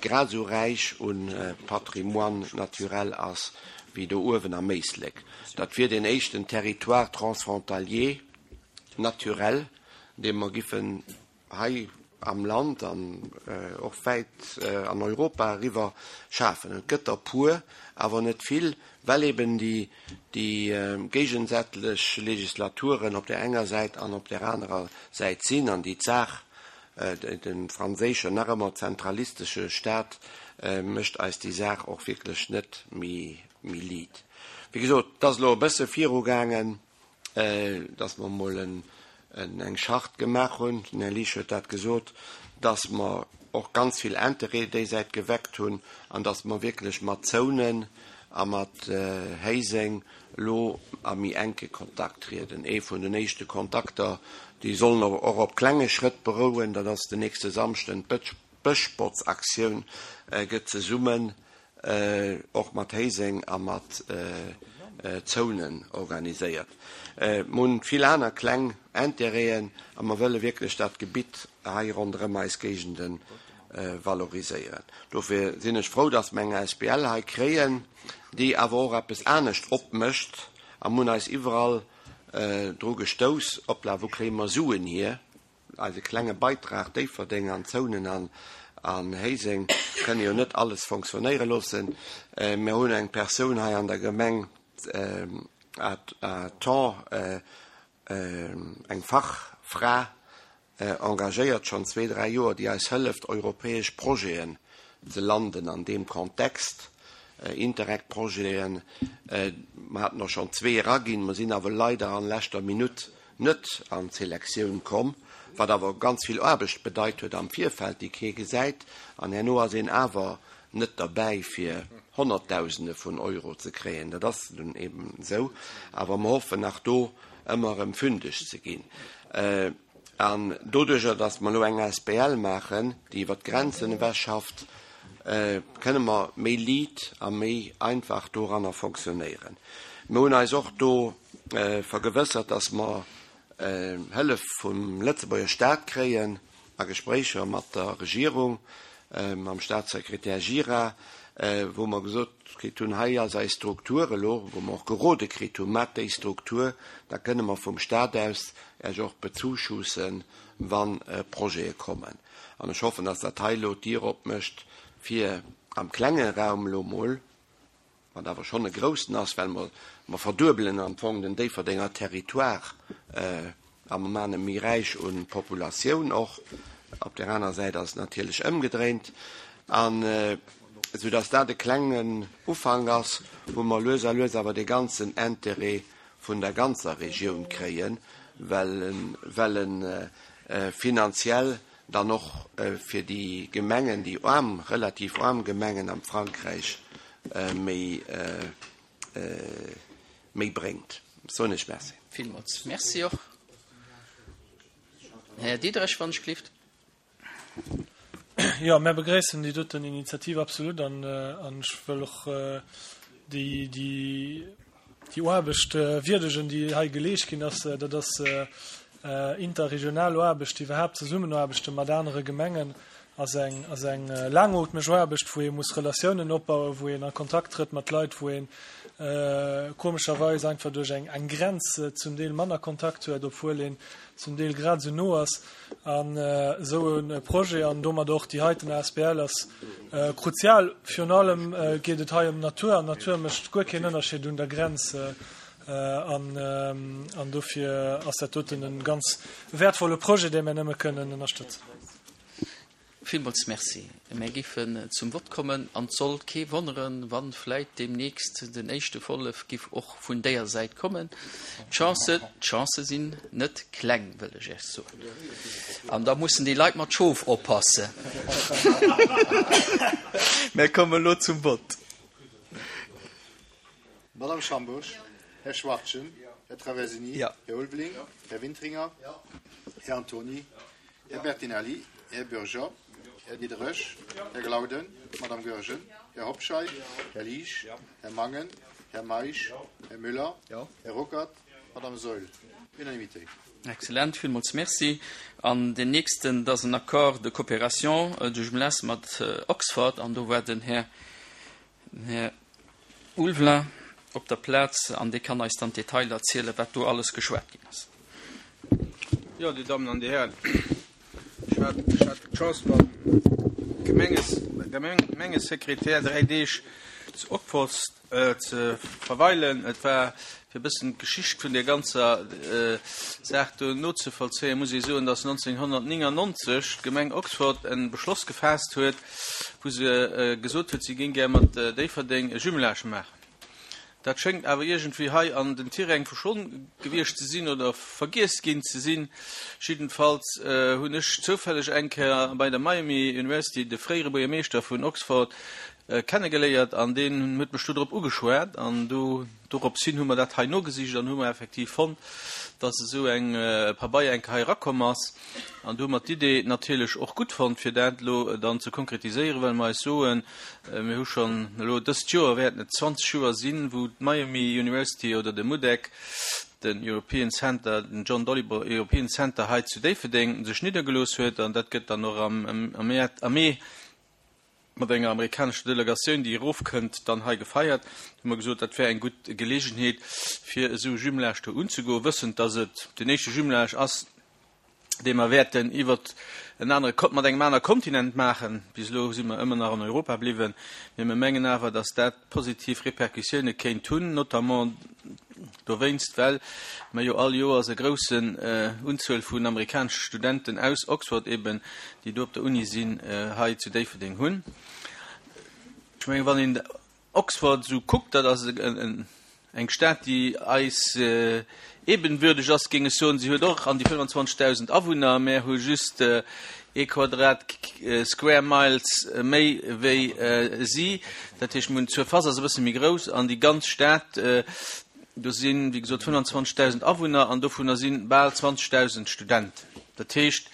grad esou räich u Patrimoine naturel ass wéi do uewen am Éislek. Dat wier deen éischten Territoire transfrontalier naturel, dee mer giffen hei am Land an och wäit an Europa eriwwer schafen. Et gëtt der puer, awer net vill, well eben déi géigesätlech Legislaturen op där enger Säit an op där anerer Säit sinn an déi d'Saach, de franséischen nach ëmmer zentralistesche Staat mécht eis déi Saach och wierklech net méi liit. Wéi gesot, et ass elo e bësse virugaangen. dass mer emol eng Charte gemaach hunn, den Här Liesch huet dat gesot, dass mer och ganz vill Interêt déisäit geweckt hunn an dass mer wierklech mat Zounen a mat Héiseng elo a méi enke Kontakt trieden. Ee vun den éischte Kontakter, déi sollen och op klenge Schrëtt berouen, dat ass den nächste Samschden, d'Bëschbotzaktioun gëtt zesummen och mat Héiseng a mat Zounen organiséiert. Mer hunn vill aner kleng Intérêten a mer wëlle wierklech dat Gebitt hei ronderëm eis Géigende valoriséieren. Dofir sinn ech frou, dass mer eng asbl hei kréien, déi awer och eppes anescht opmécht. A mer hunn eis iwwerall dru gestouss, Opla, wou kréie mer Suen hier? Eise klenge Beitrag, Déifferdeng an Zounen an Héiseng kënne jo net alles fonctionnéiere loossen. Mir hunn eng Persoun hei an der Gemeng à temps, eng Fachfra engagéiert, schonn zwee, dräi Joer, déi eis hëlleft, europäesch Projeten ze landen an deem Kontext, Interreg-Projeten. Mer haten och schonn zwee eraginn, mer sinn awer leider an leschter Minutt net an d'Selektioun komm, wat awer ganz vill Aarbecht bedeit huet am Virfeld, déi kee gesäit, an herno ass een awer net derbäi fir Honnertdausende vun Euro ze kréien. Dat ass nun eben esou, awer mer hoffen nach do ëmmer erëm fündeg ze ginn. An doduerjer, datt mer elo eng asbl maachen, déi iwwer d'Grenzen ewech schafft, kënne mer méi liit a méi einfach doranner fonctionnéieren. Mir hunn eis och do vergewëssert, datt mer Hëllef vum Lëtzebuerger Staat kréien a Gespréicher mat der Regierung, mam Staatssekretär Gira, wou mer gesot kritt hunn, hei ass eis Struktur elo, wou mer och gerode kritt hunn, Maacht déi Struktur, da kënne mer vum Staat aus Iech och bezuschussen, wa Projete kommen. An ech hoffen, dass dat hei elo d'Dier opmécht, fir am klenge Raum elo mol, wat awer schonn e groussen ass, well mer, mer verduebelen am Fong den Déifferdenger Territoire a mer maachen e méi räich u Populatioun och. Op där aner Säit ass et natierlech ëmgedréint, an esou dass dat e klengen Ufank ass, wou mer lues a lues awer dee ganzen Intérêt vun der ganzer Regioun kréien, well en, well e finanziell dann och fir déi Gemengen, déi aarm, relativ aarm Gemengen am Frankräich méi, méi bréngt. Soen ech Merci. Villmools Merci och. Här Diderich, wann ech gelift. Jo, mär begréissen déi doten Initiativ absolut an ech wëll och déi, déi. Déi Aarbecht wierdegen, déi hei geleescht ginn ass. Dat ass interregional Aarbecht, iwwerhaapt Zesummenaarbechte mat anere Gemengen ass eng, ass eng laangootmeg Aarbecht, wou ee muss Relatiounen opbauen, wou een a Kontakt trëtt mat Leit, wou een komescherweis einfach duerch eng, eng Grenz zum Deel manner Kontakt huet, obwuel een zum Deel grad esou no ass. An esou e Projet an domat och déi heiten asbl ass kruzial. Virun allem geet et hei ëm d'Natur an d'Natur mécht guer keen Ënnerscheed un der Grenz. An dofir ass dat doten e ganz wäertvolle Projet, dee mir nëmme kënnen ënnerstëtzen. Villmools Merci. Mär géifen zum Vott kommen an et soll kee wonneren, wa vläit deemnächst den éischte Wollef giff och vun déier Säit kommen. D'Chancë, d'Chancë sinn net kleng, wëll ech Iech soen. An da mussen déi Leit mat Schof oppassen. Mär kommen elo zum Vott. Madame Schambourg, Här Schwachtgen, Här Traversini, Här Ulveling, Här Wintringer, Här Antony, Här Bertinelli, Här Bürger, Här Diderich, Här Glauden, Madame Goergen, Här Hobscheit, Här Liesch, Här Mangen, Här Meisch, Här Müller, Här Ruckert, Madame Saeul. Unanimité. Excellent, villmools Merci. An deen nächsten, dat ass en Accord de coopération de jumelage mat Oxford, an do war den Här Den Här Ulveling op der Plaz an dee kann eis dann d'Detailer erzielen, wat do alles geschwat ginn ass. Jo, Dir Dammen an Dir Hären, ech hat, ech hat d'Chance mam Gemengesekretär 3 Deeg zu Oxford ze verweilen. Et war, fir e bëssen d'Geschicht vun där ganzer Saach do nozevollzéien, muss ee soen, dass 1999 d'Gemeng Oxford e Beschloss gefaasst huet, wou se gesot huet, si géing gär mat Déifferdeng e Jumelage maachen. Dat schéngt awer iergendwéi hei an den Tiräng verschwonn gewiescht ze sinn oder vergiess ginn ze sinn. Jiddenfalls hunn ech zoufälleg eng Kéier bei der Miami University de fréiere Buergermeeschter vun Oxford kennegeléiert an deen huet mech do drop ugeschwat an do dorops hin hu mer dat hei nogesicht an hu mer effektiv fonnt, dass esou eng Pabeier eng Kéier hei erakomm ass. An do hu mer d'Idee natierlech och gutt fonnt, fir dat elo dann ze konkretiséieren, well mer eis soen, mir hu schonn elo dëst Joer wäerten et 20 Joer sinn, wou d'Miami University oder de MUDEC, den European Center, den John Dalibor European Center hei zu Déifferdeng sech niddergelooss huet. An dat gëtt dann och am Mee mat enger amerikanescher Delegatioun, déi erofkënnt, dann hei gefeiert. Do hu mer gesot, dat wär eng gutt Geleegenheet, fir esou e Jumelage do unzegoen, wëssend, dass et den éischte Jumelage ass, dee mer wäerten iwwer en anere, mat engem anere Kontinent maachen. Bis elo si mer ëmmer nach an Europa bliwwen, mee mer mengen awer, dass dat positiv Répercussioune kéint hunn, notamment dowéinst, well mer jo all Joers e groussen Unzuel vun amerikanesche Studenten aus Oxford eben, déi do op der Uni sinn, hei zu Déifferdeng hunn. Ech mengen, wann een Oxford esou kuckt, dat ass eng Stad, déi eis ebenwürdeg ass, géing ech soen. Si huet och an déi 25.000 Awunner, mär hu just ee Quadrat, square miles, méi wéi si. Dat heescht, mir hunn d'Surface ass e bësse méi grouss an déi ganz Stad, do sinn, wéi gesot, 25.000 Awunner an dovunner si bal 20.000 Studenten. Dat heescht,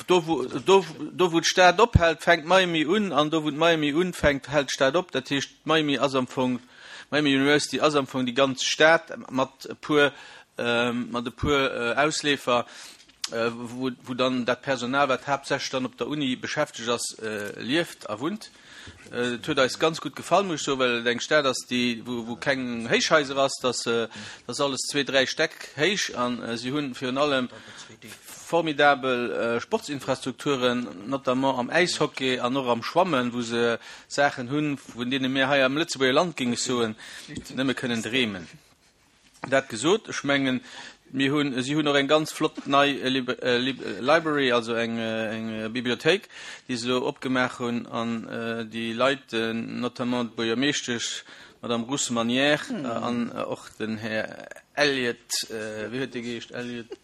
Do wou, do, do wou d'Stad ophält, fänkt Miami un, an do wou d'Miami unfänkt, hält d'Stad op. Dat heescht, Miami ass am Fong, Miami University ass am Fong déi ganz Stad mat e puer, mat e puer Ausleefer, wou, wou dann dat Personal, wat haaptsächlech dann op der Uni beschäftegt ass, lieft a wunnt. Et huet eis ganz gutt gefall, muss ech soen, well et eng Stad ass, déi, wou, wou keng Héichhaiser ass, dass, dass alles zwee, dräi Stäck héich an si hunn virun allem formidabel Sportsinfrastrukturen, notamment am Äishockey an och am Schwammen, wou se Saachen hunn, vun deene mir hei am Lëtzebuerger Land, géing ech soen, nëmme kënnen dreemen. Dat gesot, ech mengen, mir hunn, si hunn och eng ganz flott nei Library, also eng Bibliothéik, déi se elo opgemaach hunn an déi Leit, notamment d'Buergermeeschtesch, d'Madame Ruth Manière an och den Här Elliott, wéi huet dee geheescht, Elliott?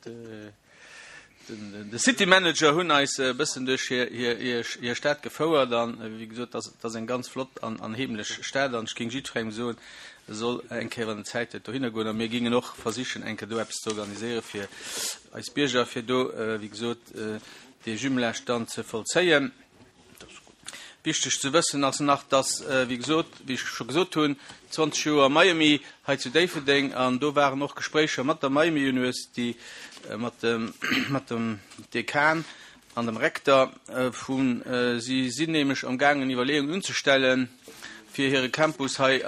De City Manager hunn eis e bëssen duerch hir Stad gefouert an wéi gesot, dat ass eng ganz flott an heemlech Stad an ech géing jiddwerengem soen, e soll eng Kéier, wann en Zäit huet, dohinner goen a mir géingen och versichen, eng Kéier do eppes ze organiséiere fir eis Bierger, fir do, wéi gesot, dee Jumelage dann ze vollzéien. Wichteg ze wëssen ass nach, dass, wéi gesot, wéi ech scho gesot hunn, 20 Joer Miami hei zu Déifferdeng, an do waren och Gespréicher mat der Miami University, mat dem, mat dem Dekan an dem Rektor vun, si sinn nämlech amgaangen Iwwerleeungen unzestellen, fir hire Campus hei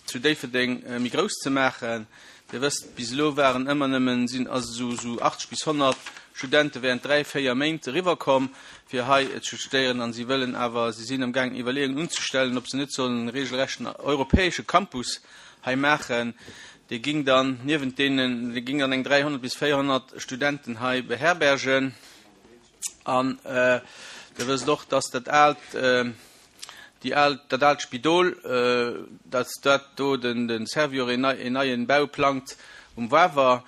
zu Déifferdeng méi grouss ze maachen. Dir wësst, bis elo waren ëmmer nëmmen, sinn also esou esou 80 bis 100 Studente während dräi, véier Méint eriwwerkomm, fir hei ze studéieren. An si wëllen awer, si sinn amgaangen Iwwerleeungen unzestellen, ob se net sollen e regelrechten europäesche Campus hei maachen. Dee ging dann niewent deenen, dee ging dann eng 300 bis 400 Studenten hei beherbergen. An Dir wësst och, dass dat aalt, déi al, dat aalt Spidol, dass dat do den, de Servior een nei, een neien Bau plangt um Wawer.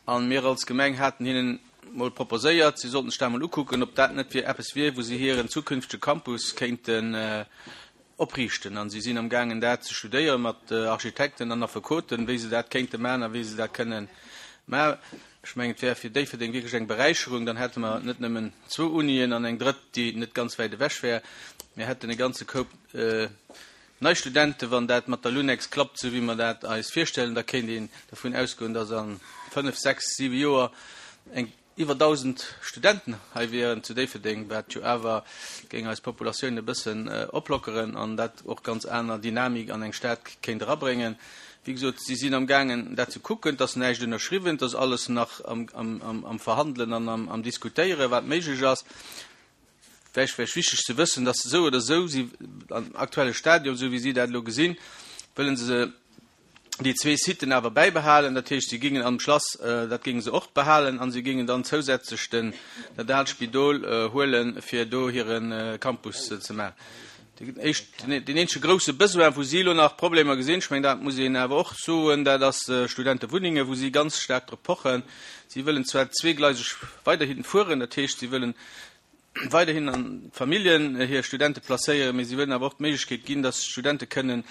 A mir als Gemeng haten hinnen mol proposéiert, si sollten sech dat mol ukucken, ob dat net wier eppes wier, wou si hiren zukünftege Campus kéinten opriichten. A si sinn amgaangen dat ze studéiere mat Architekten an Affekoten, wéi se dat kéinte maachen a wéi se dat kënnen maachen. Ech mengen, et wär fir Déifferdeng wierklech eng Beräicherung, dann hätte mer net nëmmen zwou Unien an eng drëtt, déi net ganz wäit ewech wär. Mir hätten e ganze Koup nei Studenten. Wann dat mat der Lunex klappt, esou wéi mer dat eis virstellen, da kéint een dervun ausgoen, dass a fënnef, sechs, siwe Joer eng iwwer 1.000 Studenten hei wieren zu Déifferdeng, wat jo awer géing eis Populatioun e bëssen oplockeren an dat och ganz aner Dynamik an eng Stad kéint erabréngen. Wéi gesot, si sinn amgaangen, dat ze kucken. Et ass näischt ënnerschriwwen, et ass alles nach am Verhandelen an am Diskutéieren, wat méiglech ass. Vläicht wär wichteg ze wëssen, dass esou oder esou si am aktuelle Stadium, esou wéi si dat elo gesinn, wëlle se déi zwee Siten awer bäibehalen. Dat heescht, si gingen am Schlass, dat géinge se och behalen, a si gingen dann zousätzlech den, dat aalt Spidol huelen, fir do hire Campus ze maachen. Deen éischt, deen eenzege grouse Besoin, wou si elo nach Problemer gesinn, ech mengen, dat muss een awer och soen, dat ass Studentewunnengen, wou si ganz staark drop pochen. Si wëllen zwar zweegleiseg weiderhin fueren, dat heescht, si wëllen weiderhin an d'Familljen hir Studente placéieren, mee si wëllen awer och d'Méiglechkeet ginn, dass d'Studente kënnen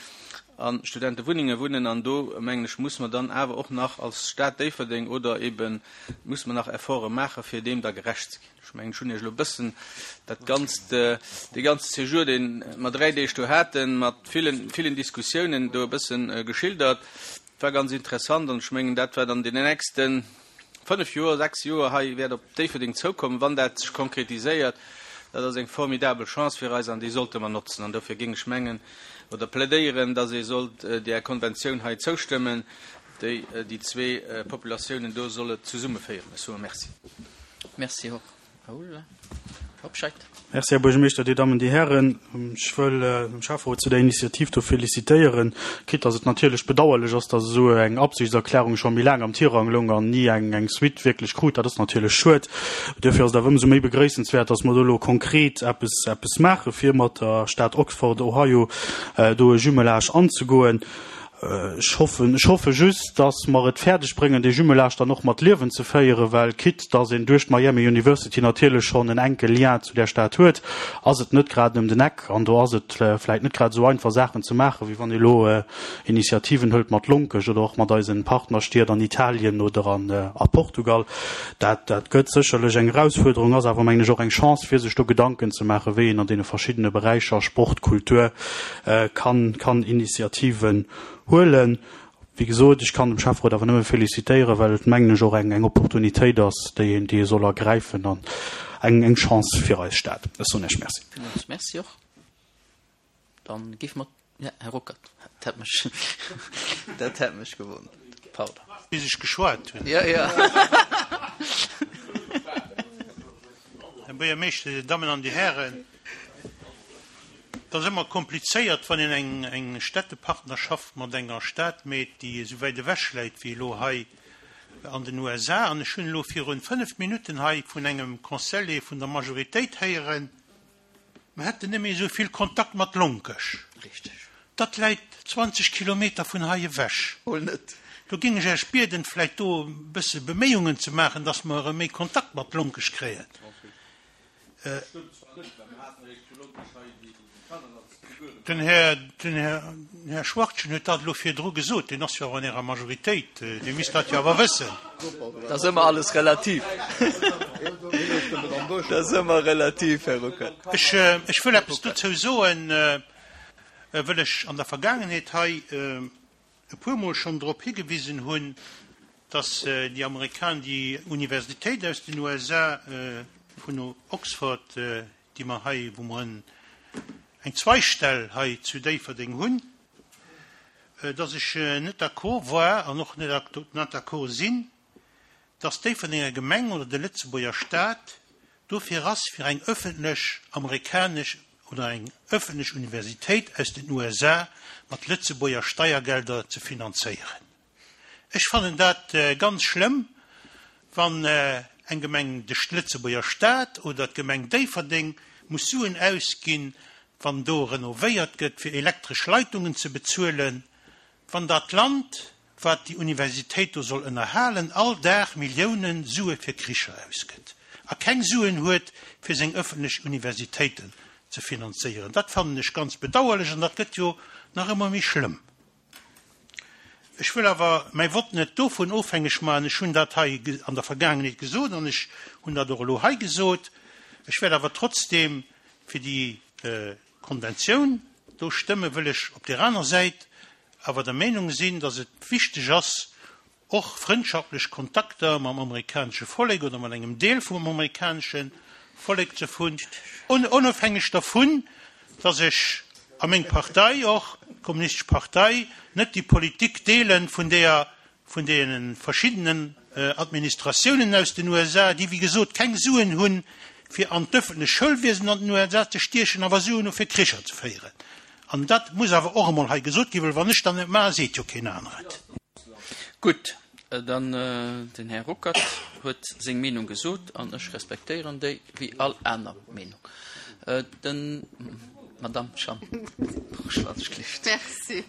a Studentewunnenge wunnen. An do, mengen ech, muss mer dann awer och nach als Stad Déifferdeng oder eebe muss mer nach Efforte maachen, fir deem da gerecht ze ginn. Ech mengen, ech hunn Iech elo e bëssen dat Ganzt, dee ganze Séjour, dee mer dräi Deeg do haten, mat villen, villen Diskussiounen do e bësse geschildert. Et war ganz interessant an ech mengen, dat wat an deenen nächste fënnef Joer, sechs Joer hei wäert op Déifferdeng zoukommen, wann dat sech konkretiséiert, dat ass eng formidabel Chance fir eis an déi sollte mer notzen. An dofir géing ech mengen oder plädéieren, dass ee sollt där Konventioun hei zoustëmmen, déi déi zwee Populatiounen do solle zesummeféieren. Ech soe Merci. Merci och, Raoul Hobscheit. Merci, Här Buergermeeschter, Dir Dammen, Dir Hären. Ech wëll dem Schäfferot zu där Initiativ do félicitéieren, quitte dass et natierlech bedauerlech ass, dass esou eng Absichtserklärung scho méi laang am Tirang loung an ni eng eng Suite wierklech krut. Dat ass natierlech schued. Duerfir ass et awer ëmsou méi begréissenswäert, dass mer do elo konkret eppes eppes maache fir mat der Stad Oxford, Ohio, do e Jumelage anzegoen. Ech hoffen, ech hoffe just, dass mer et fäerdeg bréngen, dee Jumelage dann och mat Liewen ze féieren, well quitte dass een duerch d'Miami University natierlech schonn en enke Lien zu där Stad huet, ass et net grad ëm den Eck an do ass et vläicht net grad esou einfach Saachen ze maachen, wéi wann ee elo Initiativen hëlt mat Lonkech oder och mat eisen Partnerstied an Italien oder an a Portugal. Dat, dat gëtt sécherlech eng Erausfuerderung, ass awer, mengen ech, och eng Chance, fir sech do Gedanken ze maachen, wéi een an deene verschiddene Beräicher, Sport, Kultur, kann kann Initiativen huelen. Wéi gesot, ech kann dem Schäfferot awer nëmme félicitéieren, well et, mengen ech, och eng eng Opportunitéit ass, déi een déi ee soll ergräifen an eng eng Chance fir eis Stad. Ech soen Iech Merci. Villmools Merci och. Dann géife mer, ja, Här Ruckert, dat hätt mech, dat hätt mech gewonnert. Pardon. Bis ech geschwat hunn. Ja, ja. Här Buergermeeschter, Dir Dammen an Dir Hären, Et ass ëmmer komplizéiert, wann een eng eng Städtepartnerschaft mat enger Stad meet, déi esou wäit ewech läit wéi elo hei an den USA. An ech hunn elo virun fënnf Minutten hei vun engem Conseiller vun der Majoritéit héieren, mer hätten net méi esou vill Kontakt mat Lonkech. Dat läit 20 Kilometer vun hei ewech. Do géing ech Iech bieden, vläicht do e bësse Beméiungen ze maachen, dass mer erëm méi Kontakt mat Lonkech kréien. Den Här Schwachtgen huet dat elo virdru gesot. Deen ass jo awer an Ärer Majoritéit, dee misst dat jo awer wëssen. Et ass ëmmer alles relativ. Dat ass ëmmer relativ, Här Ruckert. Ech wëll eppes dozou soen, wëll ech an der Vergaangenheet hei e puermol schonn drop higewisen hunn, dass déi Amerikaner, déi Universitéit aus den USA vun Oxford, déi mer hei, wou mer eng Zweigstell hei zu Déifferdeng hunn, dass ech net d'accord war an och net d'accord sinn, dass d'Déifferdenger Gemeng oder de Lëtzebuerger Stat dofir ass, fir eng öffentlech amerikanesch oder eng öffentlech Universitéit aus den USA mat Lëtzebuerger Steiergelder ze finanzéieren. Ech fannen dat ganz schlëmm, wann eng Gemeng, de Lëtzebuerger Stat oder d'Gemeng Déifferdeng muss Suen ausginn, wann do renovéiert gëtt, fir elektresch Leitungen ze bezuelen, wann dat Land, wat déi Universitéit do soll ënnerhalen, all Dag Milliounen Sue fir Kricher ausgëtt a keng Suen huet, fir seng ëffentlech Universitéiten ze finanzéieren. Dat fannen ech ganz bedauerlech an dat gëtt jo nach ëmmer méi schlëmm. Ech wëll awer mäi Vott net dovun ofhängeg maachen. Ech hunn dat hei an der Vergaangenheet gesot an ech hunn dat och elo hei gesot. Ech wäert awer trotzdeem fir déi Konventioun do stëmmen, wëll ech op där aner Säit awer der Meenung sinn, dass et wichteg ass, och frëndschaftlech Kontakter mam amerikanesche Vollek oder mat engem Deel vum amerikanesche Vollek ze hunn, onofhängeg dervun, dass ech a meng Partei och, d'Kommunistesch Partei, net déi Politik deelen vun deeër, vun deene verschiddenen Administratiounen aus den USA, déi wéi gesot keng Suen hunn, fir an d'ëffentlech Schoulwiesen an den USA ze stiechen, awer Suen hu fir Kricher ze féieren. An dat muss awer och emol hei gesot ginn, well wann ech dat net maachen, seet jo keen aner et. Gutt, dann den Här Ruckert huet seng Meenung gesot an ech respektéieren déi wéi all aner Meenung. Den, Madamm Schambourg, wann ech gleeft. Merci.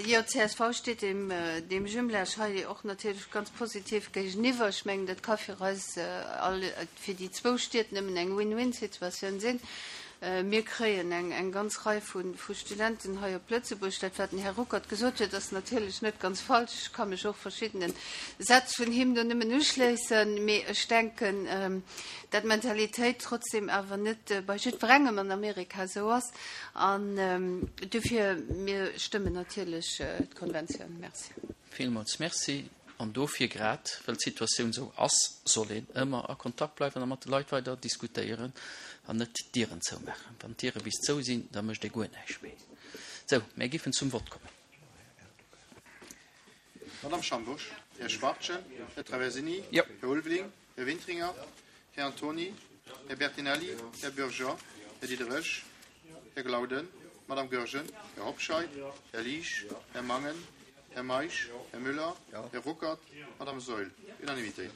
Jo, csv steet deem, deem Jumelage hei och natierlech ganz positiv géigeniwwer. Ech mengen, dat ka fir eis all, fir déi zwou Stied nëmmen eng Win-win-Situatioun sinn. Mir kréien eng, eng ganz Rei vu, vu Studenten hei op Lëtzebuerg. Dat, wat den Här Ruckert gesot huet, ass natierlech net ganz falsch. Ech ka mech och verschiddene Sätz vun him do nëmmen uschléissen. Mee ech denken, dat d'Mentalitéit trotzdem awer net bei jiddwerengem an Amerika esou ass. An dofir, mir stëmmen natierlech d'Konventioun. Merci. Villmools Merci. An dofir, grad well d'Situatioun esou ass, soll een ëmmer a Kontakt bleiwen a mat de Leit weider diskutéieren an net d'Dieren zoumaachen. Wann d'Diere bis zou sinn, da mécht ee guer näischt méi. Sou, mär giffen zum Vott kommen. Madamm Schambourg, Här Schwachtgen, Här Traversini, Här Ulveling, Här Wintringer, Här Antony, Här Bertinelli, Här Bürger, Här Diderich, Här Glauden, Madame Goergen, Här Hobscheit, Här Liesch, Här Mangen, Här Meisch, Här Müller, Här Ruckert, Madame Saeul. Unanimitéit.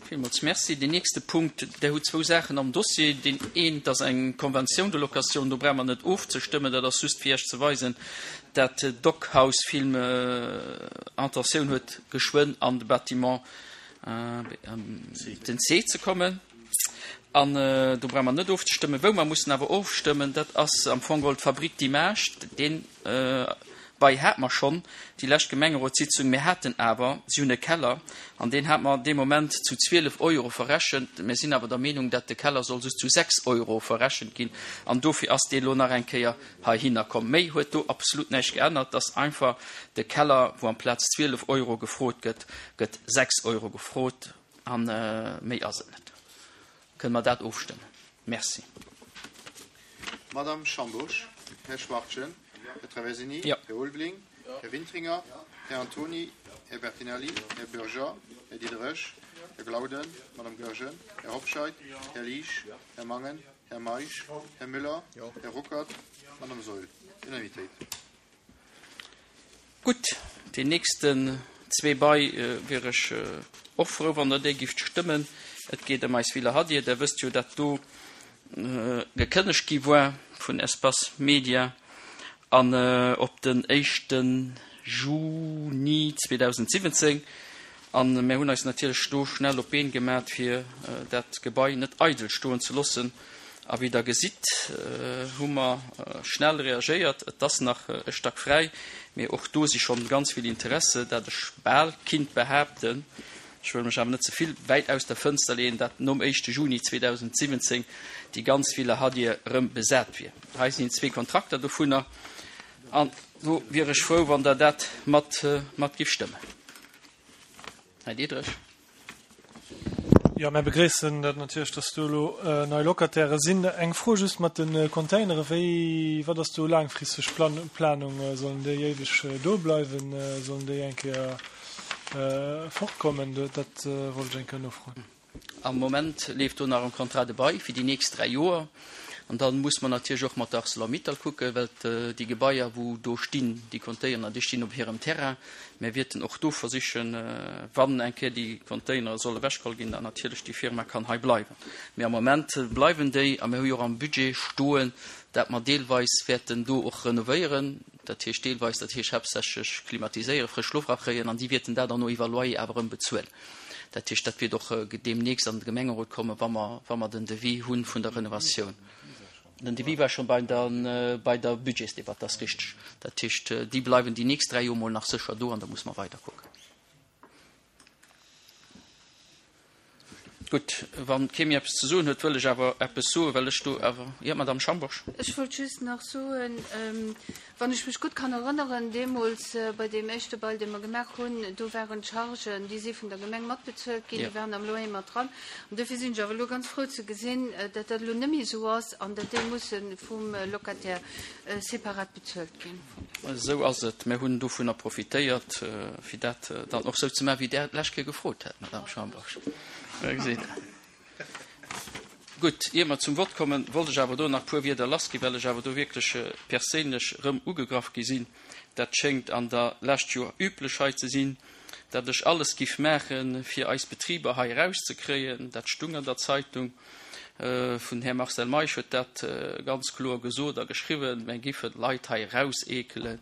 Villmools Merci. Deen nächste Punkt, Der hutt zwou Saachen am Dossier. Deen eent ass eng Convention de location, do brauche mer net ofzestëmmen, dat ass just fir Iech ze weisen, dat Doc House Film Intentioun huet geschwënn an de Bâtiment den C ze kommen. An do brauche mer net ofzestëmmen. Wou mer mussen awer ofstëmmen, dat ass am Fong geholl d'Fabrique d'images. Deen Bail hate mer schonn déi lescht Gemengerotssitzung. Mir haten awer, si hunn e Keller, an deen hate mer dee Moment zu 12 Euro verrechent. Mir sinn awer der Meenung, dat de Keller soll just zu 6 Euro verrechent ginn. An dofir ass dee lo nach eng Kéier heihinner komm. Méi huet do absolut näischt geännert, dass einfach de Keller, wou amplaz 12 Euro gefrot gëtt, gëtt 6 Euro gefrot a méi ass et net. Kënne mer dat ofstëmmen? Merci. Madame Schambourg, Här Schwachtgen, Här Traversini, Här Ulveling, Här Wintringer, Här Antony, Här Bertinelli, Här Bürger, Här Diderich, Här Glauden, Madame Goergen, Här Hobscheit, Här Liesch, Här Mangen, Här Meisch, Här Müller, Här Ruckert, Madame Saeul. Unanimitéit. Gutt, déi nächsten zwee Bail wier ech och frou, wann Der déi gifft stëmmen. Et geet ëm eis Villa Hadir. Der wësst jo, dat do gekënnegt gi war vun Espace Media an op den éischte Juni 2017. A mär hunn eis natierlech do schnell op d'Been gemat, fir dat Gebai net eidel stoen ze loossen. A wéi Der gesitt, hu mer schnell reagéiert. Et ass nach e Stack fräi, mee och do si schonn ganz vill Interesse, dat ech bal kinnt behaapten. Ech wëll mech awer net ze vill wäit aus der Fënster leeën, dat nom éischte Juni 2017 déi ganz Villa Hadir erëm besat wier. Hei sinn zwee Kontrakter dovunner an do wier ech frou, wann Der dat mat mat giff stëmmen. Här Diderich. Jo, mär begréissen dat natierlech, dass do elo nei Locataire sinn. Eng Fro just mat de Containere, wéi, wat ass do laangfristeg Planung? Sollen déi éiweg do bleiwen? Sollen déi eng Kéier fortkommen? Dat wollt ech eng Kéier nofroen. Am Moment leeft do nach en Contrat de bail fir déi nächst 3 Joer. An da muss mer natierlech och mat der Arcelor-Mittal kucken, well déi Gebaier, wou do stinn, déi Container, déi stinn op hirem Terrain. Mir wierten och do versichen, wann eng Kéier déi Containere solle ewechgeholl ginn, datt natierlech déi Firma kann hei bleiwen. Mee am Moment bleiwen déi a mir hu jo och am Budget stoen, dat mer deelweis wäerten do och renovéieren. Dat heescht deelweis, dat heescht haaptsächlech klimatiséieren, frësch Loft erakréien an déi wierten dat dann no iwwer Loyer awer erëm bezuelen. Dat heescht, dat wiert och deemnächst an de Gemengerot kommen, wa mer, wa mer den Devis hu vun der Renovatioun. Den Devis war scho bei der, bei der Budgetsdebatt, dat ass richteg. Dat heescht, déi bleiwen déi nächst 3 Joer mol nach sécher do an da muss mer weiderkucken. Gutt, wa kee méi eppes ze soen huet, wëll ech awer eppes soen, well ech do awer, jo, Madame Schambourg. Ech wollt just nach soen, wann ech mech gutt kann erënneren, deemools bei deem éischte Bail, dee mer gemaach hunn, do waren d'Chargen, déi si vun der Gemeng matbezuelt ginn, déi waren am Loyer mat dran. An dofir sinn ech awer elo ganz frou ze gesinn, datt dat elo net méi esou ass an datt déi musse vum Locataire separat bezuelt ginn. Esou ass et. Mir hunn dovunner profitéiert, fir dat dann och esou ze maachen, wéi Der et d'lescht Kéier gefrot hat, Madame Schambourg. Gutt, ier mer zum Vott kommen, wollt ech awer do nach e puer Wierder lassginn, well ech awer do wierklech perséinlech erëm ugegraff gi sinn. Dat schéngt an der lescht Joer üblech hei ze sinn, datt ech alles giff maachen, fir eis Betriber hei erauszekréien. Dat stung an der Zeitung. Vun Här Marcel Meisch huet dat ganz kloer gesot a geschriwwen, Mär giffen d'Leit hei erauseekelen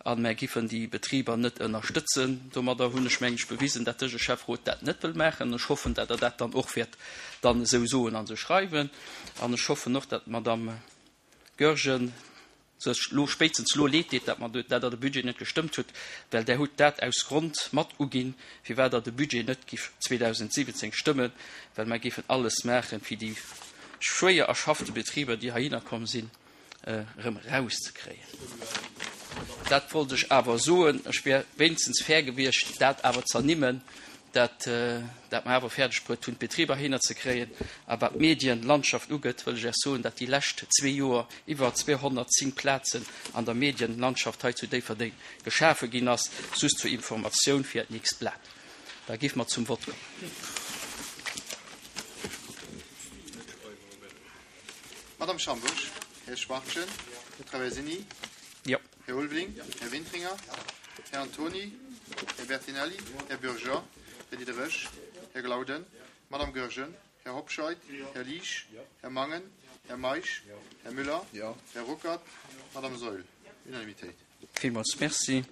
a mär giffen déi Betriber net ënnerstëtzen. Domadder hunn ech, mengen ech, bewisen, dat dëse Schäfferot dat net wëll maachen. Ech hoffen, dat Der dat dann och wäert dann esou soen an esou schreiwen. An ech hoffen och, dat d'Madame Goergen sech lo spéitstens lo leed deet, dat mer dat Der de Budget net gestëmmt hutt, well Der hutt dat aus Grond mat uginn, firwat Der de Budget net giff 2017 stëmmen, well mer géifen alles maachen, fir déi schwéier erschaffte Betriber, déi heihinner komm sinn, erëm erauszekréien. Dat wollt ech awer soen. Ech wär wéinstens fair gewiescht, dat awer z'ernimmen, dat dat mer awer fäerdeg bruet hunn, d'Betriber heihinner ze kréien. A wat d'Medienlandschaft ugeet, wëll ech Iech soen, dat déi lescht zwee Joer iwwer 210 Plazen an der Medienlandschaft hei zu Déifferdeng geschafe ginn ass. Just zur Informatioun fir Äert nächst Blat. Da géife mer zum Vott kommen. Madame Schambourg, Här Schwachtgen, Här Traversini, Jo. Här Ulveling, Här Wintringer, Här Antoni, Här Bertinelli, Här Bürger, Här Diderich, Här Glauden, Madame Goergen, Här Hobscheit, Här Liesch, Här Mangen, Här Meisch, Här Müller, Här Ruckert, Madame Saeul. Unanimitéit. Villmools Merci.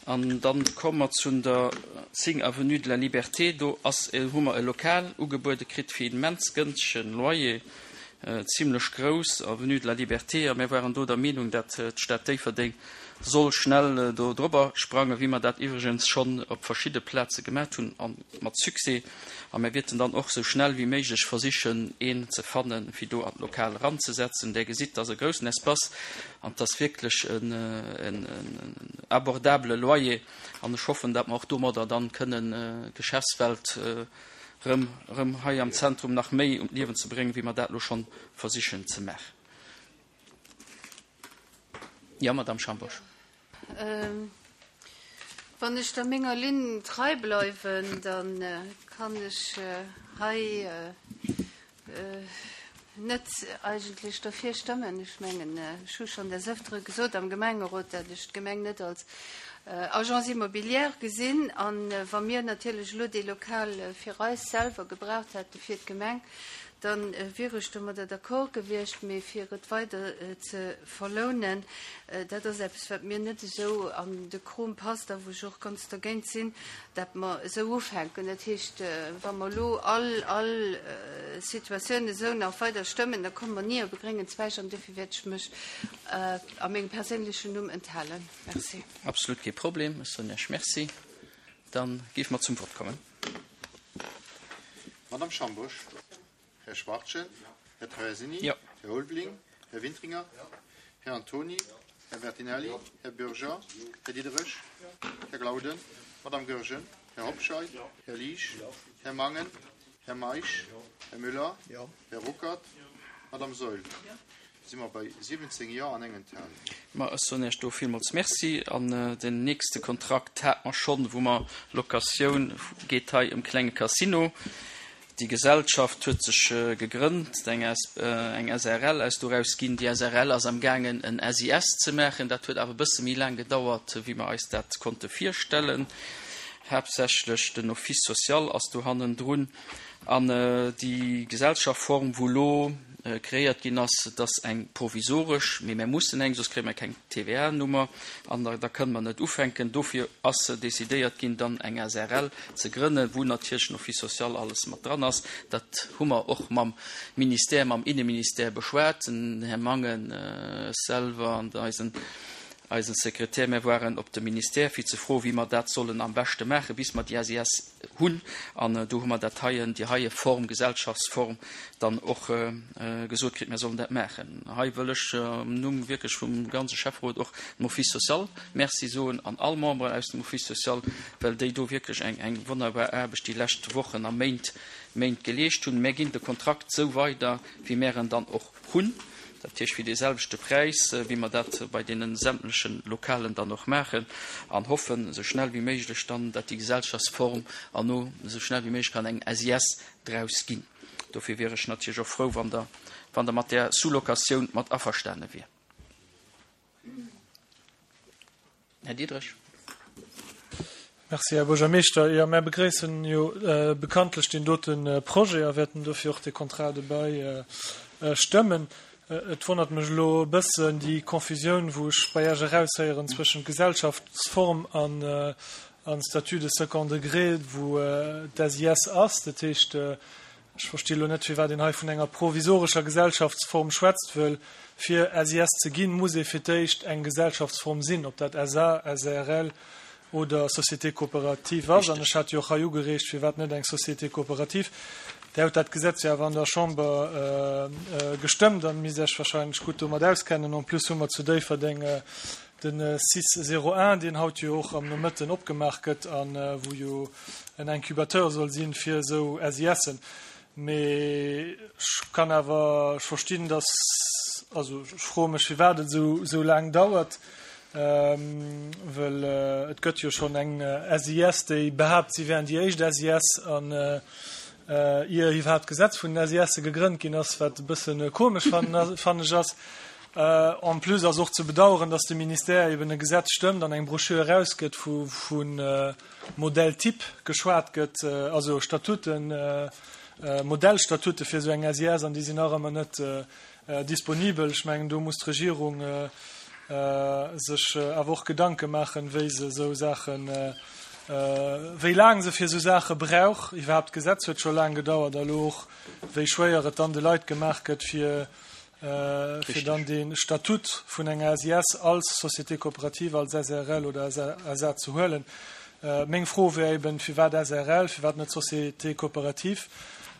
An dann komme mer zu der 10 Avenue de la Liberté. Do ass, hu mer e Lokal ugebuede kritt fir immens gënschtegen Loyer, zimlech grouss, Avenue de la Liberté. A mir waren do der Meenung, dat d'Stad Déifferdeng soll schnell do drobber sprangen, wéi mer dat iwwregens schonn op verschidde Plaze gemat hunn a mat Succès. A mir wierten dann och esou schnell wéi méiglech versichen, een ze fannen, fir do an d'Lokal eranzesetzen. Där gesitt, et ass e groussen Espace an et ass wierklech en abordabele Loyer. An ech hoffen, datt mer och domadder dann kënnen d'Geschäftswelt erëm, erëm hei am Zentrum nach méi un d'Liewen ze bréngen, wéi mer dat elo schonn versichen ze maachen. Jo, Madame Schambourg. Wann ech da menger Linn trei bleiwen, da kann ech hei net eigentlech derfir stëmmen. Ech mengen, ech hu schonn des Ëftere gesot am Gemengerot, dat ech d'Gemeng net als Agence immobilière gesinn. A wa mir natierlech elo dee Lokal fir eis selwer gebraucht hätte fir d'Gemeng, da wier ech domadder d'accord gewiescht. Mee fir et weider ze verlounen, dat ass eppes, wat mir net esou an de Krom passt a wou ech och ganz dergéint sinn, dat mer esou ufänken. Dat heescht, wa mer elo all, all Situatioun esou nach weider stëmmen, da komme mer ni op e gréngen Zweig an dofir wäert ech mech a mengem perséinlechen Numm enthalen. Merci. Absolut kee Problem. Ech soen Iech Merci. Da géife mer zum Vott kommen. Madame Schambosch. Här Schwachtgen. Här Traversini. Här Ulveling. Här Wintringer. Här Antoni. Här Bertinelli. Här Bürger. Här Diderich. Här Glauden. Madame Goergen. Här Hobscheit. Här Liesch. Här Mangen. Här Meisch. Här Müller. Här Ruckert. Madame Saeul. Si mer bei 17 Jo an eng Enthalung. Ma ech soen Iech do villmools Merci. An den nächste Kontrakt hate mer schonn, wou mer Locatioun, geet hei ëm klenge Casino. Déi Gesellschaft huet sech gegrënnt, eng eng SRL ass doraus ginn. Déi SRL ass am gaangen en SIS ze maachen. Dat huet awer e bësse méi laang gedauert, wéi mer eis dat konnte virstellen. Haaptsächlech den Office social ass do hannendrun. An déi Gesellschafform, wou elo kreéiert ginn ass, et ass eng provisoresch, mee mär mussen eng, soss kréie mer keng TVA-Nummer an da kënne mer net ufänken. Dofir ass decidéiert ginn, dann eng SRL ze grënnen, wou natierlech den Office social alles mat dran ass. Dat hu mer och mam Ministère, mam Inneministère beschwat, den Här Mangen, ech selwer an eisen eisen Sekretär. Mär waren op de Ministère, fir ze froen, wéi mer dat sollen am beschte maachen, bis mer déi SIS hunn. An do hu mer dat heien, déi heie Form, Gesellschaftsform dann och gesot kritt, mir sollen dat maachen. Hei wëll ech am Numm wierklech vum ganze Schäfferot och dem Office social Merci soen an all Memberen aus dem Office social, well déi do wierklech eng, eng wonnerbar Aarbecht déi lescht Wochen a Méint, Méint geleescht hunn. Mär ginn de Kontrakt esou weider, wéi mär en dann och hunn, dat heescht fir dee selwechte Präis, wéi mer dat bei deene sämtleche Lokalen dann och maachen, an hoffen, esou schnell wéi méiglech dann, datt déi Gesellschaftsform erno esou schnell wéi méiglech kann eng SIS draus ginn. Dofir wier ech natierlech och frou, wann Der, wann Der mat där Sous-locatioun mat averstane wier. Här Diderich. Merci, Här Buergermeeschter. Jo, mär begréissen jo bekanntlech deen dote Projet a wäerten dofir och de Contrat de bail stëmmen. Et wonnert mech elo e bëssen déi Confusioun, wou ech bei Iech eraushéieren zwëschent Gesellschaftsform an Statut de second degré, wou d'SIS ass. Dat heescht, Ech versti elo net, firwat een hei vun enger provisorescher Gesellschaftsform schwätzt, wëll fir SIS ze ginn, muss ee fir d'éischt eng Gesellschaftsform sinn, ob dat SA, SARL oder Société coopérative ass. An ech hat jo och hei ugereegt, firwat net eng Société coopérative. Där hutt dat Gesetz jo awer an der Chamber gestëmmt an misst Iech wahrscheinlech gutt domat auskennen. En plus hu mer zu Déifferdeng Den Cis 01, deen haut jo och am Nomëtten opgemaach gëtt a wou jo en Incubateur soll sinn fir esou SISen. Mee ech kann awer verstinn, dass, also ech froe mech firwat et esou esou laang dauert, well et gëtt jo schonn eng SIS, déi behaapt si wären déi éischt SIS an ier iwwerhaapt d'Gesetz vun den SISe gegrënnt ginn ass, wat e bësse komesch fannen ech ass. En plus ass och ze bedauern, dass de Ministère eben e Gesetz stëmmt an eng Broschür erausgëtt, wou vu Modèle type geschwat gëtt, also Statuten, Modellstatute fir esou eng SIS, an déi sinn nach ëmmer net disponibel. Ech mengen, do muss d'Regierung sech awer och Gedanke maachen, wéi se esou Saachen, wéi laang se fir esou Saache brauch. Iwwerhaapt d'Gesetz huet scho laang gedauert, a elo och, wéi schwéier et dann de Leit gemaach gëtt, fir fir dann de Statut vun enger SIS als Société coopérative, als SRL oder SA ze huelen. Meng Fro wär eben, firwat SRL, firwat net Société coopérative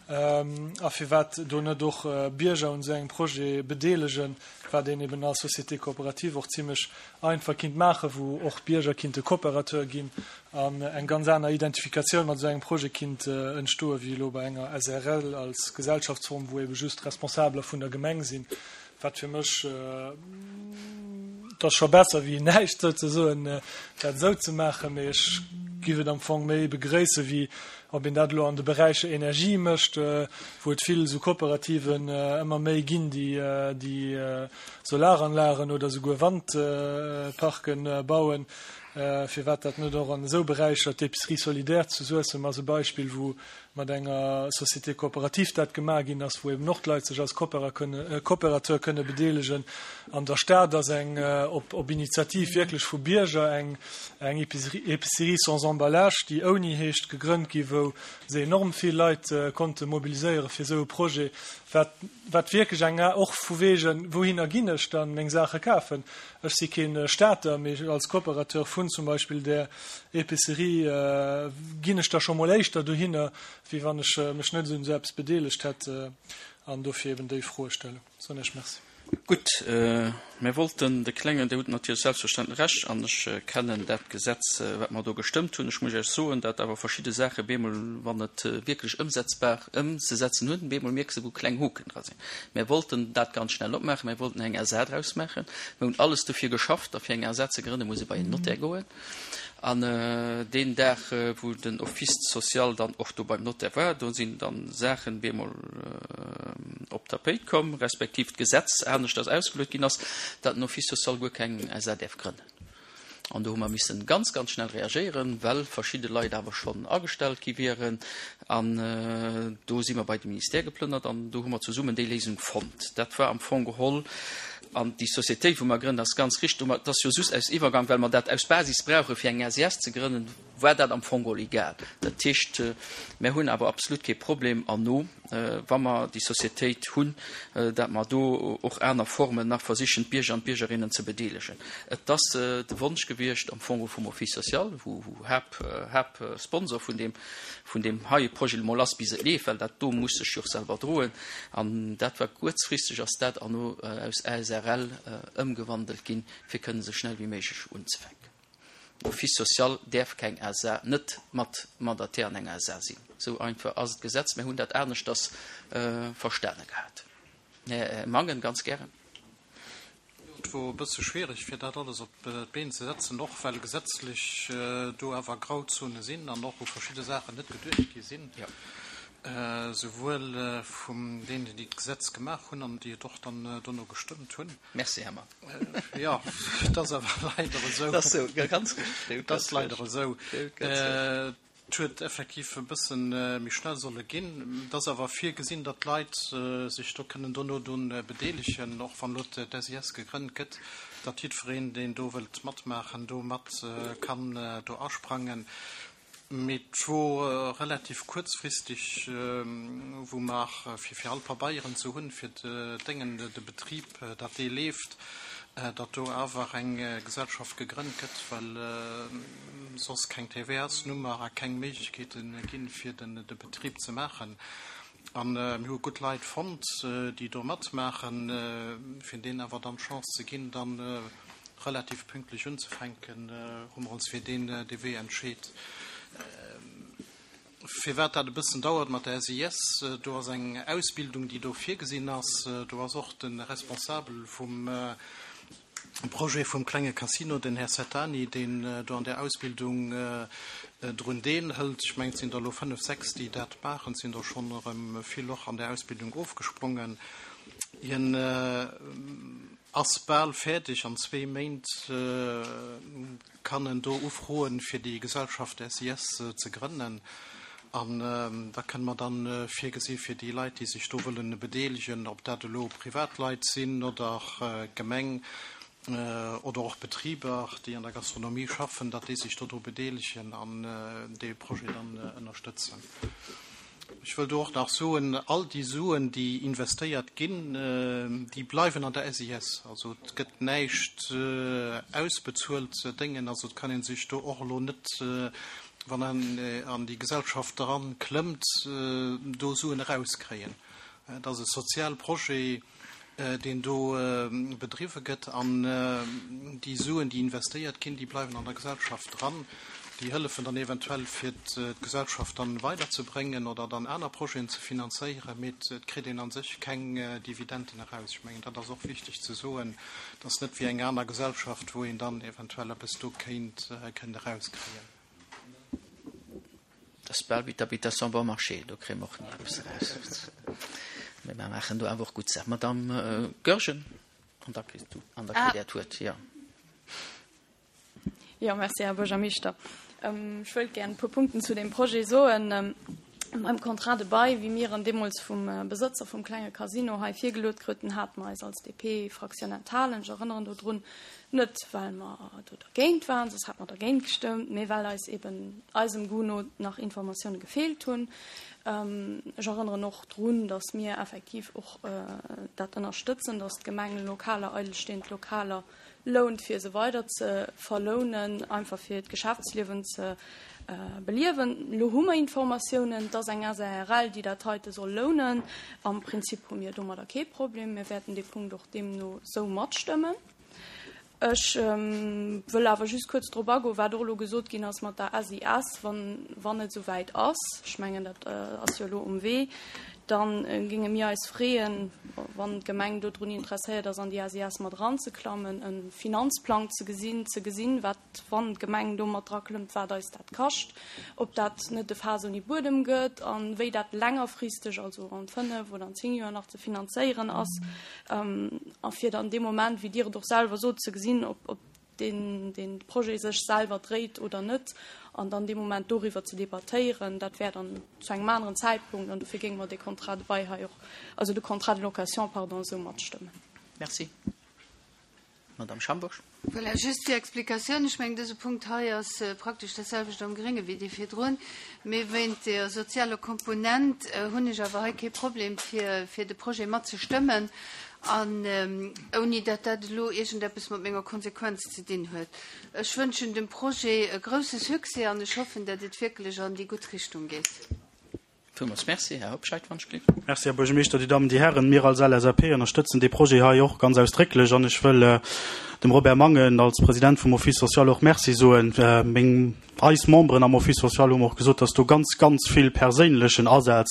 a firwat do net och Bierger un esou engem Projet bedeelegen, wat een eben als Société coopérative och zimlech einfach kinnt maachen, wou och d'Bierger kinnte Coopérateur ginn an eng ganz aner Identifikatioun mat esou engem Projet kinnt entstoen, wéi elo bei enger SRL als Gesellschaftsform, wou ebe just Responsabeler vun der Gemeng sinn, wat fir mech, et ass scho besser wéi näischt souzesoen, dat esou ze maachen, mee ech giff et am Fong méi begréissen, wéi ob een dat elo an de Beräicher Energie mécht, wou et vill esou Kooperativen ëmmer méi ginn, déi déi Solaranlagen oder souguer Wandparken bauen, firwat dat net och an esou Beräicher, d'Épicerie solidaire zu Suessem ass e Beispill, wou mat enger Société coopérative dat gemaach ginn ass, wou eben och d'Leit sech als Coopérateur kënne bedeelegen. An der Stad ass eng, op Initiativ wierklech vu Bierger, eng Épicerie sans emballage, déi ouni heescht, gegrënnt gi, wou se enorm vill Leit konnte mobiliséiere fir esou e Projet, wat wat wierklech eng, och vu wegen, wouhinner ginn ech dann meng Saache kafen? Ech si keen Stater, mee als Coopérateur vun zum Beispill där Épicerie ginn ech da scho mol éischter dohinner. wéi wann ech mech net un esou eppes bedeelegt hätt an dofir eben déi Froe stellen. Soen Iech Merci. Gutt, mir wollten de klengen, Dir hutt natierlech selbstverständlech Recht an ech kennen dat Gesetz, wat mer do gestëmmt hunn. Ech muss Iech soen, dat awer verschidde Saache bemol, wann et wierklech ëmsetzbar ëmzesetzen hunn, bemol mierks de wou kleng Hoken dra sinn. Mir wollten dat ganz schnell opmaachen, mir wollten eng SA draus maachen. Mir hunn alles dofir geschafft a fir eng SA ze grënne muss ee bei en Notaire goen. An deen Dag, wou den Office social dann och do beim Notaire war, do sinn dann Saachen bemol op d'Tapéit komm, respektiv d'Gesetz aneschters ausgeluet ginn ass, datt den Office social guer keng SA däerf grënnen. An do hu mer missen ganz, ganz schnell reagéieren, well verschidde Leit awer schonn agestellt gi wieren. An do si mer bei de Ministère geplënnert an do hu mer zesummen déi Léisung fonnt. Dat war am Fong geholl, an déi Sociétéit, wou mer grënnen, ass ganz richteg, dat ass jo just aus Iwwergang, well mer dat aus Basis brauche fir eng SIS ze grënnen, war dat am Fong geholl egal. Dat heescht, mer hunn awer absolut kee Problem erno, wa mer déi Sociétéit hunn, dat mer do och aner Formen nach versichen, d'Bierger an d'Biergerinnen ze bedeelegen. Et ass de Wonsch gewiescht am Fong vum Office social, wou Haaptsponsor vun deem vun deem heie Projet emol ass, bis et leeft, well dat do muss sech jo och selwer droen. An dat war kuerzfristeg ass dat erno aus ASRL ëmgewandelt ginn, fir kënnen esou schnell wéi méiglech unzefänken. Office social däerf keng SA, net mat Mandataire an enger SA sinn. Esou einfach ass d'Gesetz. Mir hunn dat aneschters verstane gehat. Här Mangen, ganz gären. Et wor e bësse schwierig, fir dat alles op d'Been ze setzen, och well gesetzlech do awer Grauzone sinn an och u verschidde Saachen net geduecht gi sinn, souwuel vun deenen, déi d'Gesetz gemaach hunn an déi et och dann dono gestëmmt hunn. Merci, Här Mann. Jo, et ass awer leider esou. Et ass esou, ganz richtig. Et ass leider esou. Et huet effektiv e bësse méi schnell solle ginn. Et ass awer virgesinn, datt d'Leit sech do kënnen dono drun bedeelegen, och wann elo d'SIS gegrënnt gëtt, datt jiddwereen, deen do wëllt matmaachen, do mat kann do asprangen. Mee et wor relativ kuerzfristeg, wou mer, fir fir all Pabeieren ze hunn, fir d'Déngen, de Betrib, datt dee leeft, datt do awer eng Gesellschaft gegrënnt gëtt, well soss keng TVA-s-Nummer a keng Méiglechkeete ginn, fir de Betrib ze maachen. A mir hu gutt Leit fonnt, déi do matmaachen. Fir deenen awer dann d'Chance ze ginn, da relativ pünktlech unzefänken, hu mer ons fir deen Wee entscheet. Firwat dat e bëssen dauert mat der SIS, do ass eng Ausbildung, déi do virgesinn ass. Do ass och de Responsabel vum Projet vum klenge Casino, den Här Settani, deen do an där Ausbildung drun deelhëlt. Ech mengen, et sinn der elo fënnf, sechs, déi dat maachen. Et sinn der schonn erëm vill och an där Ausbildung ofgesprongen. Hien ass bal fäerdeg. An zwee Méint kann en do ufroen, fir déi Gesellschaft SIS ze grënnen. An da kënne mer dann virgesi fir déi Leit, déi sech do wëllen bedeelegen, ob dat elo Privatleit sinn oder d'Gemeng oder och Betriber, déi an der Gastronomie schaffen, datt déi sech dodru bedeelegen an dee Projet dann ënnerstëtzen. Ech wëll do och nach soen, all déi Suen, déi investéiert ginn, déi bleiwen an der SIS. Also et gëtt näischt ausbezuelt Déngen. Also et kann ee sech do och elo net, wann een an déi Gesellschaft eran klëmmt, do Suen erauskréien. Et ass e sozial Projet. deen do bedriwwe gëtt, an déi Suen, déi investéiert ginn, déi bleiwen an der Gesellschaft dran. Déi hëllefen dann eventuell, fir d'Gesellschaft dann weiderzebréngen oder dann aner Projeten ze finanzéieren, mee et kritt een a sech keng Dividenden eraus. Ech mengen, dat ass och wichteg ze soen. Et ass net wéi eng aner Gesellschaft, wou een dann eventuell eppes do kéint erauskréien. Dat ass bal wéi d'Habitation bon marché, do kréie mer och ni eppes eraus. Mee mer maachen do awer och gutt Saachen. Madamm Goergen, an da kriss du, an da kritt Der d'Wuert, jo. Jo, merci, Här Buergermeeschter. Ech wëllt gär e puer Punkten zu deem Projet soen. Beim Contrat de bail, wéi mir en deemools vum Besëtzer vum klenge Casino hei virgeluet kruten, hate mer eis als DP-Fraktioun enthalen. Ech erënneren dodrun, Net well mer do dergéint waren, soss hätte mer dergéint gestëmmt, mee well eis eben eisem Goût no nach Informatioune gefeelt hunn. Ech erënneren och drun, datt mir effektiv och dat ënnerstëtzen, datt d'Gemeng Lokaler, eidelstehend Lokaler lount, fir se weider ze verlounen, einfach fir d'Geschäftsliewen ze. Beliewen. Elo hu mer Informatiounen, et ass eng SARL, déi dat heite soll lounen. Am Prinzip hu mir domadder kee Problem. Mir wäerten dee Punkt och deemno sou matstëmmen. Ech wëll awer just kuerz drop agoen, wat och elo gesot ginn ass mat der SIS, wann, wann et esouwäit ass, ech mengen, dat ass jo elo um Wee, da géinge mir eis freeën, wann d'Gemeng dodrun interesséiert ass, an déi SIS mat eranzeklammen, e Finanzplang ze gesinn, ze gesinn, wat wann d'Gemeng do mat draklëmmt, wat eis dat kascht, ob dat net e Faass ouni Buedem gëtt a wéi dat längerfristeg, also an 5 oder an 10 Joer nach ze finanzéieren ass, a fir dann dee Moment, wéi Dir et och selwer sot, ze gesinn, ob, ob deen, dee Projet sech selwer dréit oder net, an dann dee Moment doriwwer ze debattéieren. Dat wär dann zu engem aneren Zäitpunkt, an dofir géinge mer dee Contrat de bail hei och, also de Contrat de location, pardon, esou matstëmmen. Merci. Madame Schambourg. Voilà, just fir Explikatioun, Ech mengen, dëse Punkt hei ass praktesch dat selwecht am Grénge wéi dee virdrun. Mee wéint der sozialer Komponent hunn ech awer hei kee Problem, fir, fir de Projet matzestëmmen, an ouni datt dat elo iergendeppes mat menger Konsequenz ze dinn huet. Ech wënschen dem Projet e grouse Succès an ech hoffen, datt et wierklech an déi gutt Richtung geet. Villmools Merci. Här Hobscheit, wann ech gleef. Merci, Här Buergermeeschter, Dir Dammen, Dir Hären. Mir als LSAP ënnerstëtzen dee Projet hei och ganz ausdrécklech an ech wëll dem Robert Mangen als President vum Office social och Merci soen. Meng, eis Memberen am Office social hu mer och gesot, dass do ganz, ganz vill perséinlechen Asaz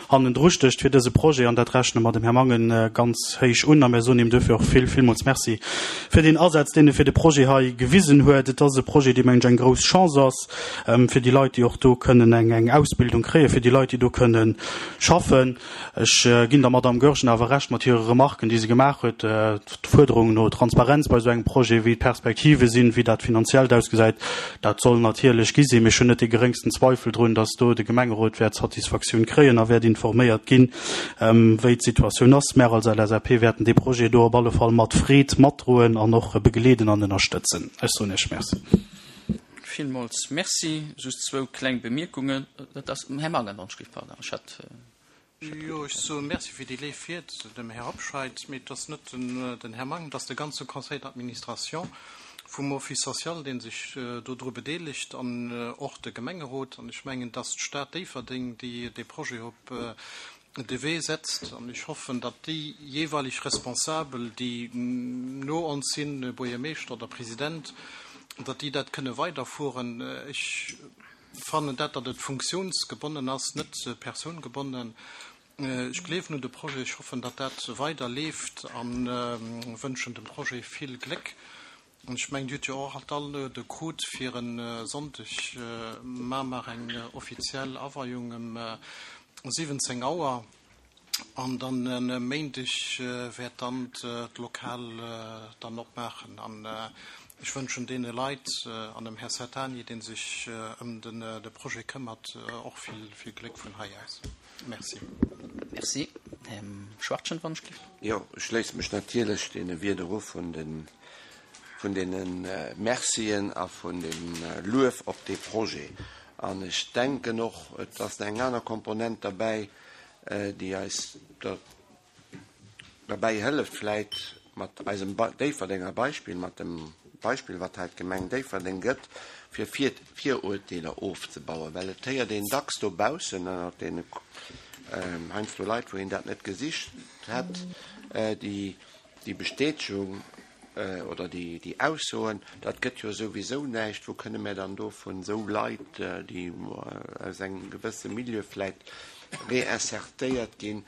hannendru stécht fir dëse Projet an dat rechne mer dem Här Mangen ganz héich un a mir soen him duerfir och vill, villmools Merci fir deen Asaz, deen e fir de Projet hei gewisen huet. Et ass e Projet, dee mengen ech eng grouss Chance ass. fir déi Leit, déi och do kënnen eng eng Ausbildung kréien, fir déi Leit, déi do kënnen schaffen. Ech ginn der Madamm Goergen awer Recht mat hire Remarken, déi se gemaach huet, d'Fuerderung no Transparenz bei esou engem Projet, wéi d'Perspektive sinn, wéi dat Finanziellt ausgesäit, dat soll natierlech gi sinn. Mee ech hunn net dee geréngsten Zweifel drun, dass do de Gemengerot wäert Satisfaktioun kréien a wäert informéiert ginn, wéi d'Situatioun ass. Mär als LSAP wäerten dee Projet do op alle Fall mat Freed matdroen an och begleeden an ënnerstëtzen. Ech soen Iech Merci. Villmools Merci. Just zwou kleng Bemierkungen. Dat ass, Här Mangen, wann ech gleef, pardon, ech hat. Jo, ech soe Merci fir déi léif Ried dem Här Hobscheit. Mee et ass net den Här Mangen, et ass de ganze Conseil d'administration vum Office social, dee sech dodru bedeelegt an och de Gemengerot. An ech mengen, et ass d'Stad Déifferdeng, déi dee Projet op de Wee setzt. An ech hoffen, datt déi jeeweileg Responsabel, déi no ons sinn, Buergermeeschter oder President, datt déi dat kënne weiderfueren. Ech fannen dat, datt et funktionsgebonnen ass, net persoungebonnen. Ech gleewen un de Projet, ech hoffen, datt dat weiderleeft a wënschen dem Projet vill Gléck. An ech mengen, Dir hutt jo och alt d'Aluede krut fir e Sonndeg mar mar eng offiziell Aweiung ëm 17 Auer. An dann e Méindeg wäert dann d'Lokal dann opmaachen. An ech wënschen deene Leit an dem Här Sertani, dee sech ëm de Projet këmmert, och vill, vill Gléck vun hei aus. Merci. Merci. Här Schwachtgen, wann ech gleef. Jo, ech schléisse mech natierlech deene Wierder u vun den, vun deene Mercien a vun dem Luef op dee Projet. An ech denken och, et ass nach eng aner Komponent derbäi, déi eis derbäi hëlleft, vläit mat eisem Déifferdenger Beispill, mat dem Beispill, wat hei d'Gemeng Déifferdeng gëtt, fir Virurteeler ofzebauen. Well et héiert een dacks dobaussen ënnert deene heiansdo Leit, wou een dat net gesicht hätt, déi déi Bestätegung oder déi Aussoen, dat gëtt jo souwisou näischt, wou kënne mär dann do vun esou Leit, déi aus engem gewësse Milieu vläit réinsertéiert ginn,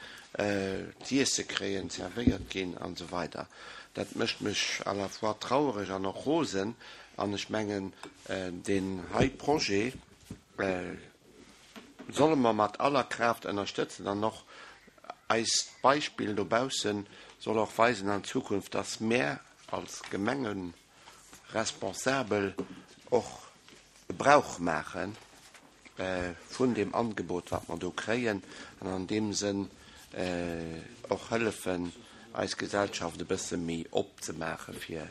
z'iesse kréien, zerwéiert ginn an esou weider. Dat mécht mech à la fois trauereg an och rosen. An ech mengen, deen hei Projet solle mer mat aller Kraaft ënnerstëtzen an och eist Beispill dobausse soll och weisen an Zukunft, dass mär als Gemengeresponsabel och Gebrauch maache vun deem Angebot, wat mer do kréien, an an deem Sënn och hëllefen, eis Gesellschaft e bësse méi opzemaache fir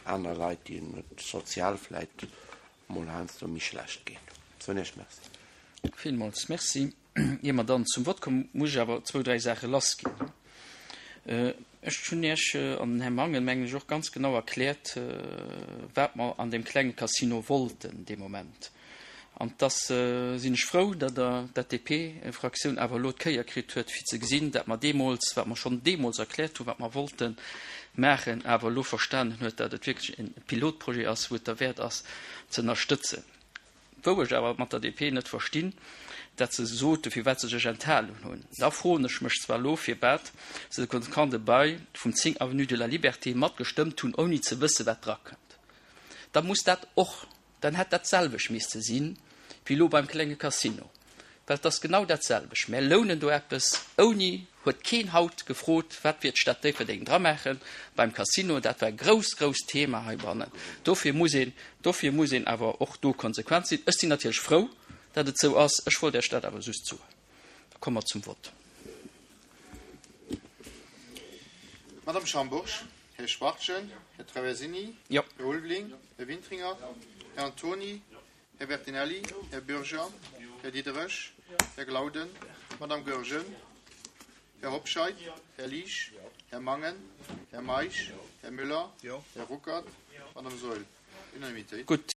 aner Leit, deenen et sozial vläicht mol heiansdo méi schlecht geet. Soen Iech Merci. Villmools Merci. Ier mer dann zum Vott kommen, muss ech awer zwou, dräi Saache lassginn. Ech hunn Iech an den Här Mangen, mengen ech, och ganz genau erkläert, wat mer an deem klenge Casino wollten dee Moment. An dass sinn ech frou, datt Der, dat d'DP-Fraktioun awer elo d'Kéier kritt huet, fir ze gesinn, dat mer deemools, wat mer schonn deemools erkläert hunn, wat mer wollte maachen, awer elo verstanen huet, datt et wierklech e Pilotprojet ass, wou et derwäert ass ze ënnerstëtzen. Wou ech awer mat der DP net verstinn, dat se sote firwat se sech enthalen hunn. Da froen ech mech zwar elo, firwat se de Contrat de bail vum 10 avenue de la Liberté matgestëmmt hunn, ouni ze wësse wat drakënnt. Da muss dat och, dann hätt dat selwecht misste sinn, wéi elo beim klenge Casino. Well et ass genau dat selwecht. Mär lounen do eppes, ouni, huet keen haut gefrot, wat wier d'Stad Déifferdeng dramaachen beim Casino. Dat war e grousst, grousst Thema heibannen. Dofir muss een, dofir muss een awer och do konsequent sinn. Ech sinn natierlech frou, dat et esou ass. Ech wollt Iech dat awer just soen. Da komme mer zum Vott. Madame Schambourg, Här Schwachtgen, Här Traversini, Här Ulveling, Här Wintringer, Här Antony, Här Bertinelli, Här Bürger, Här Diderich, Här Glauden, Madame Goergen, Här Hobscheit, Här Liesch, Här Mangen, Här Meisch, Här Müller, Här Ruckert, Madame Saeul. Unanimitéit. Gutt.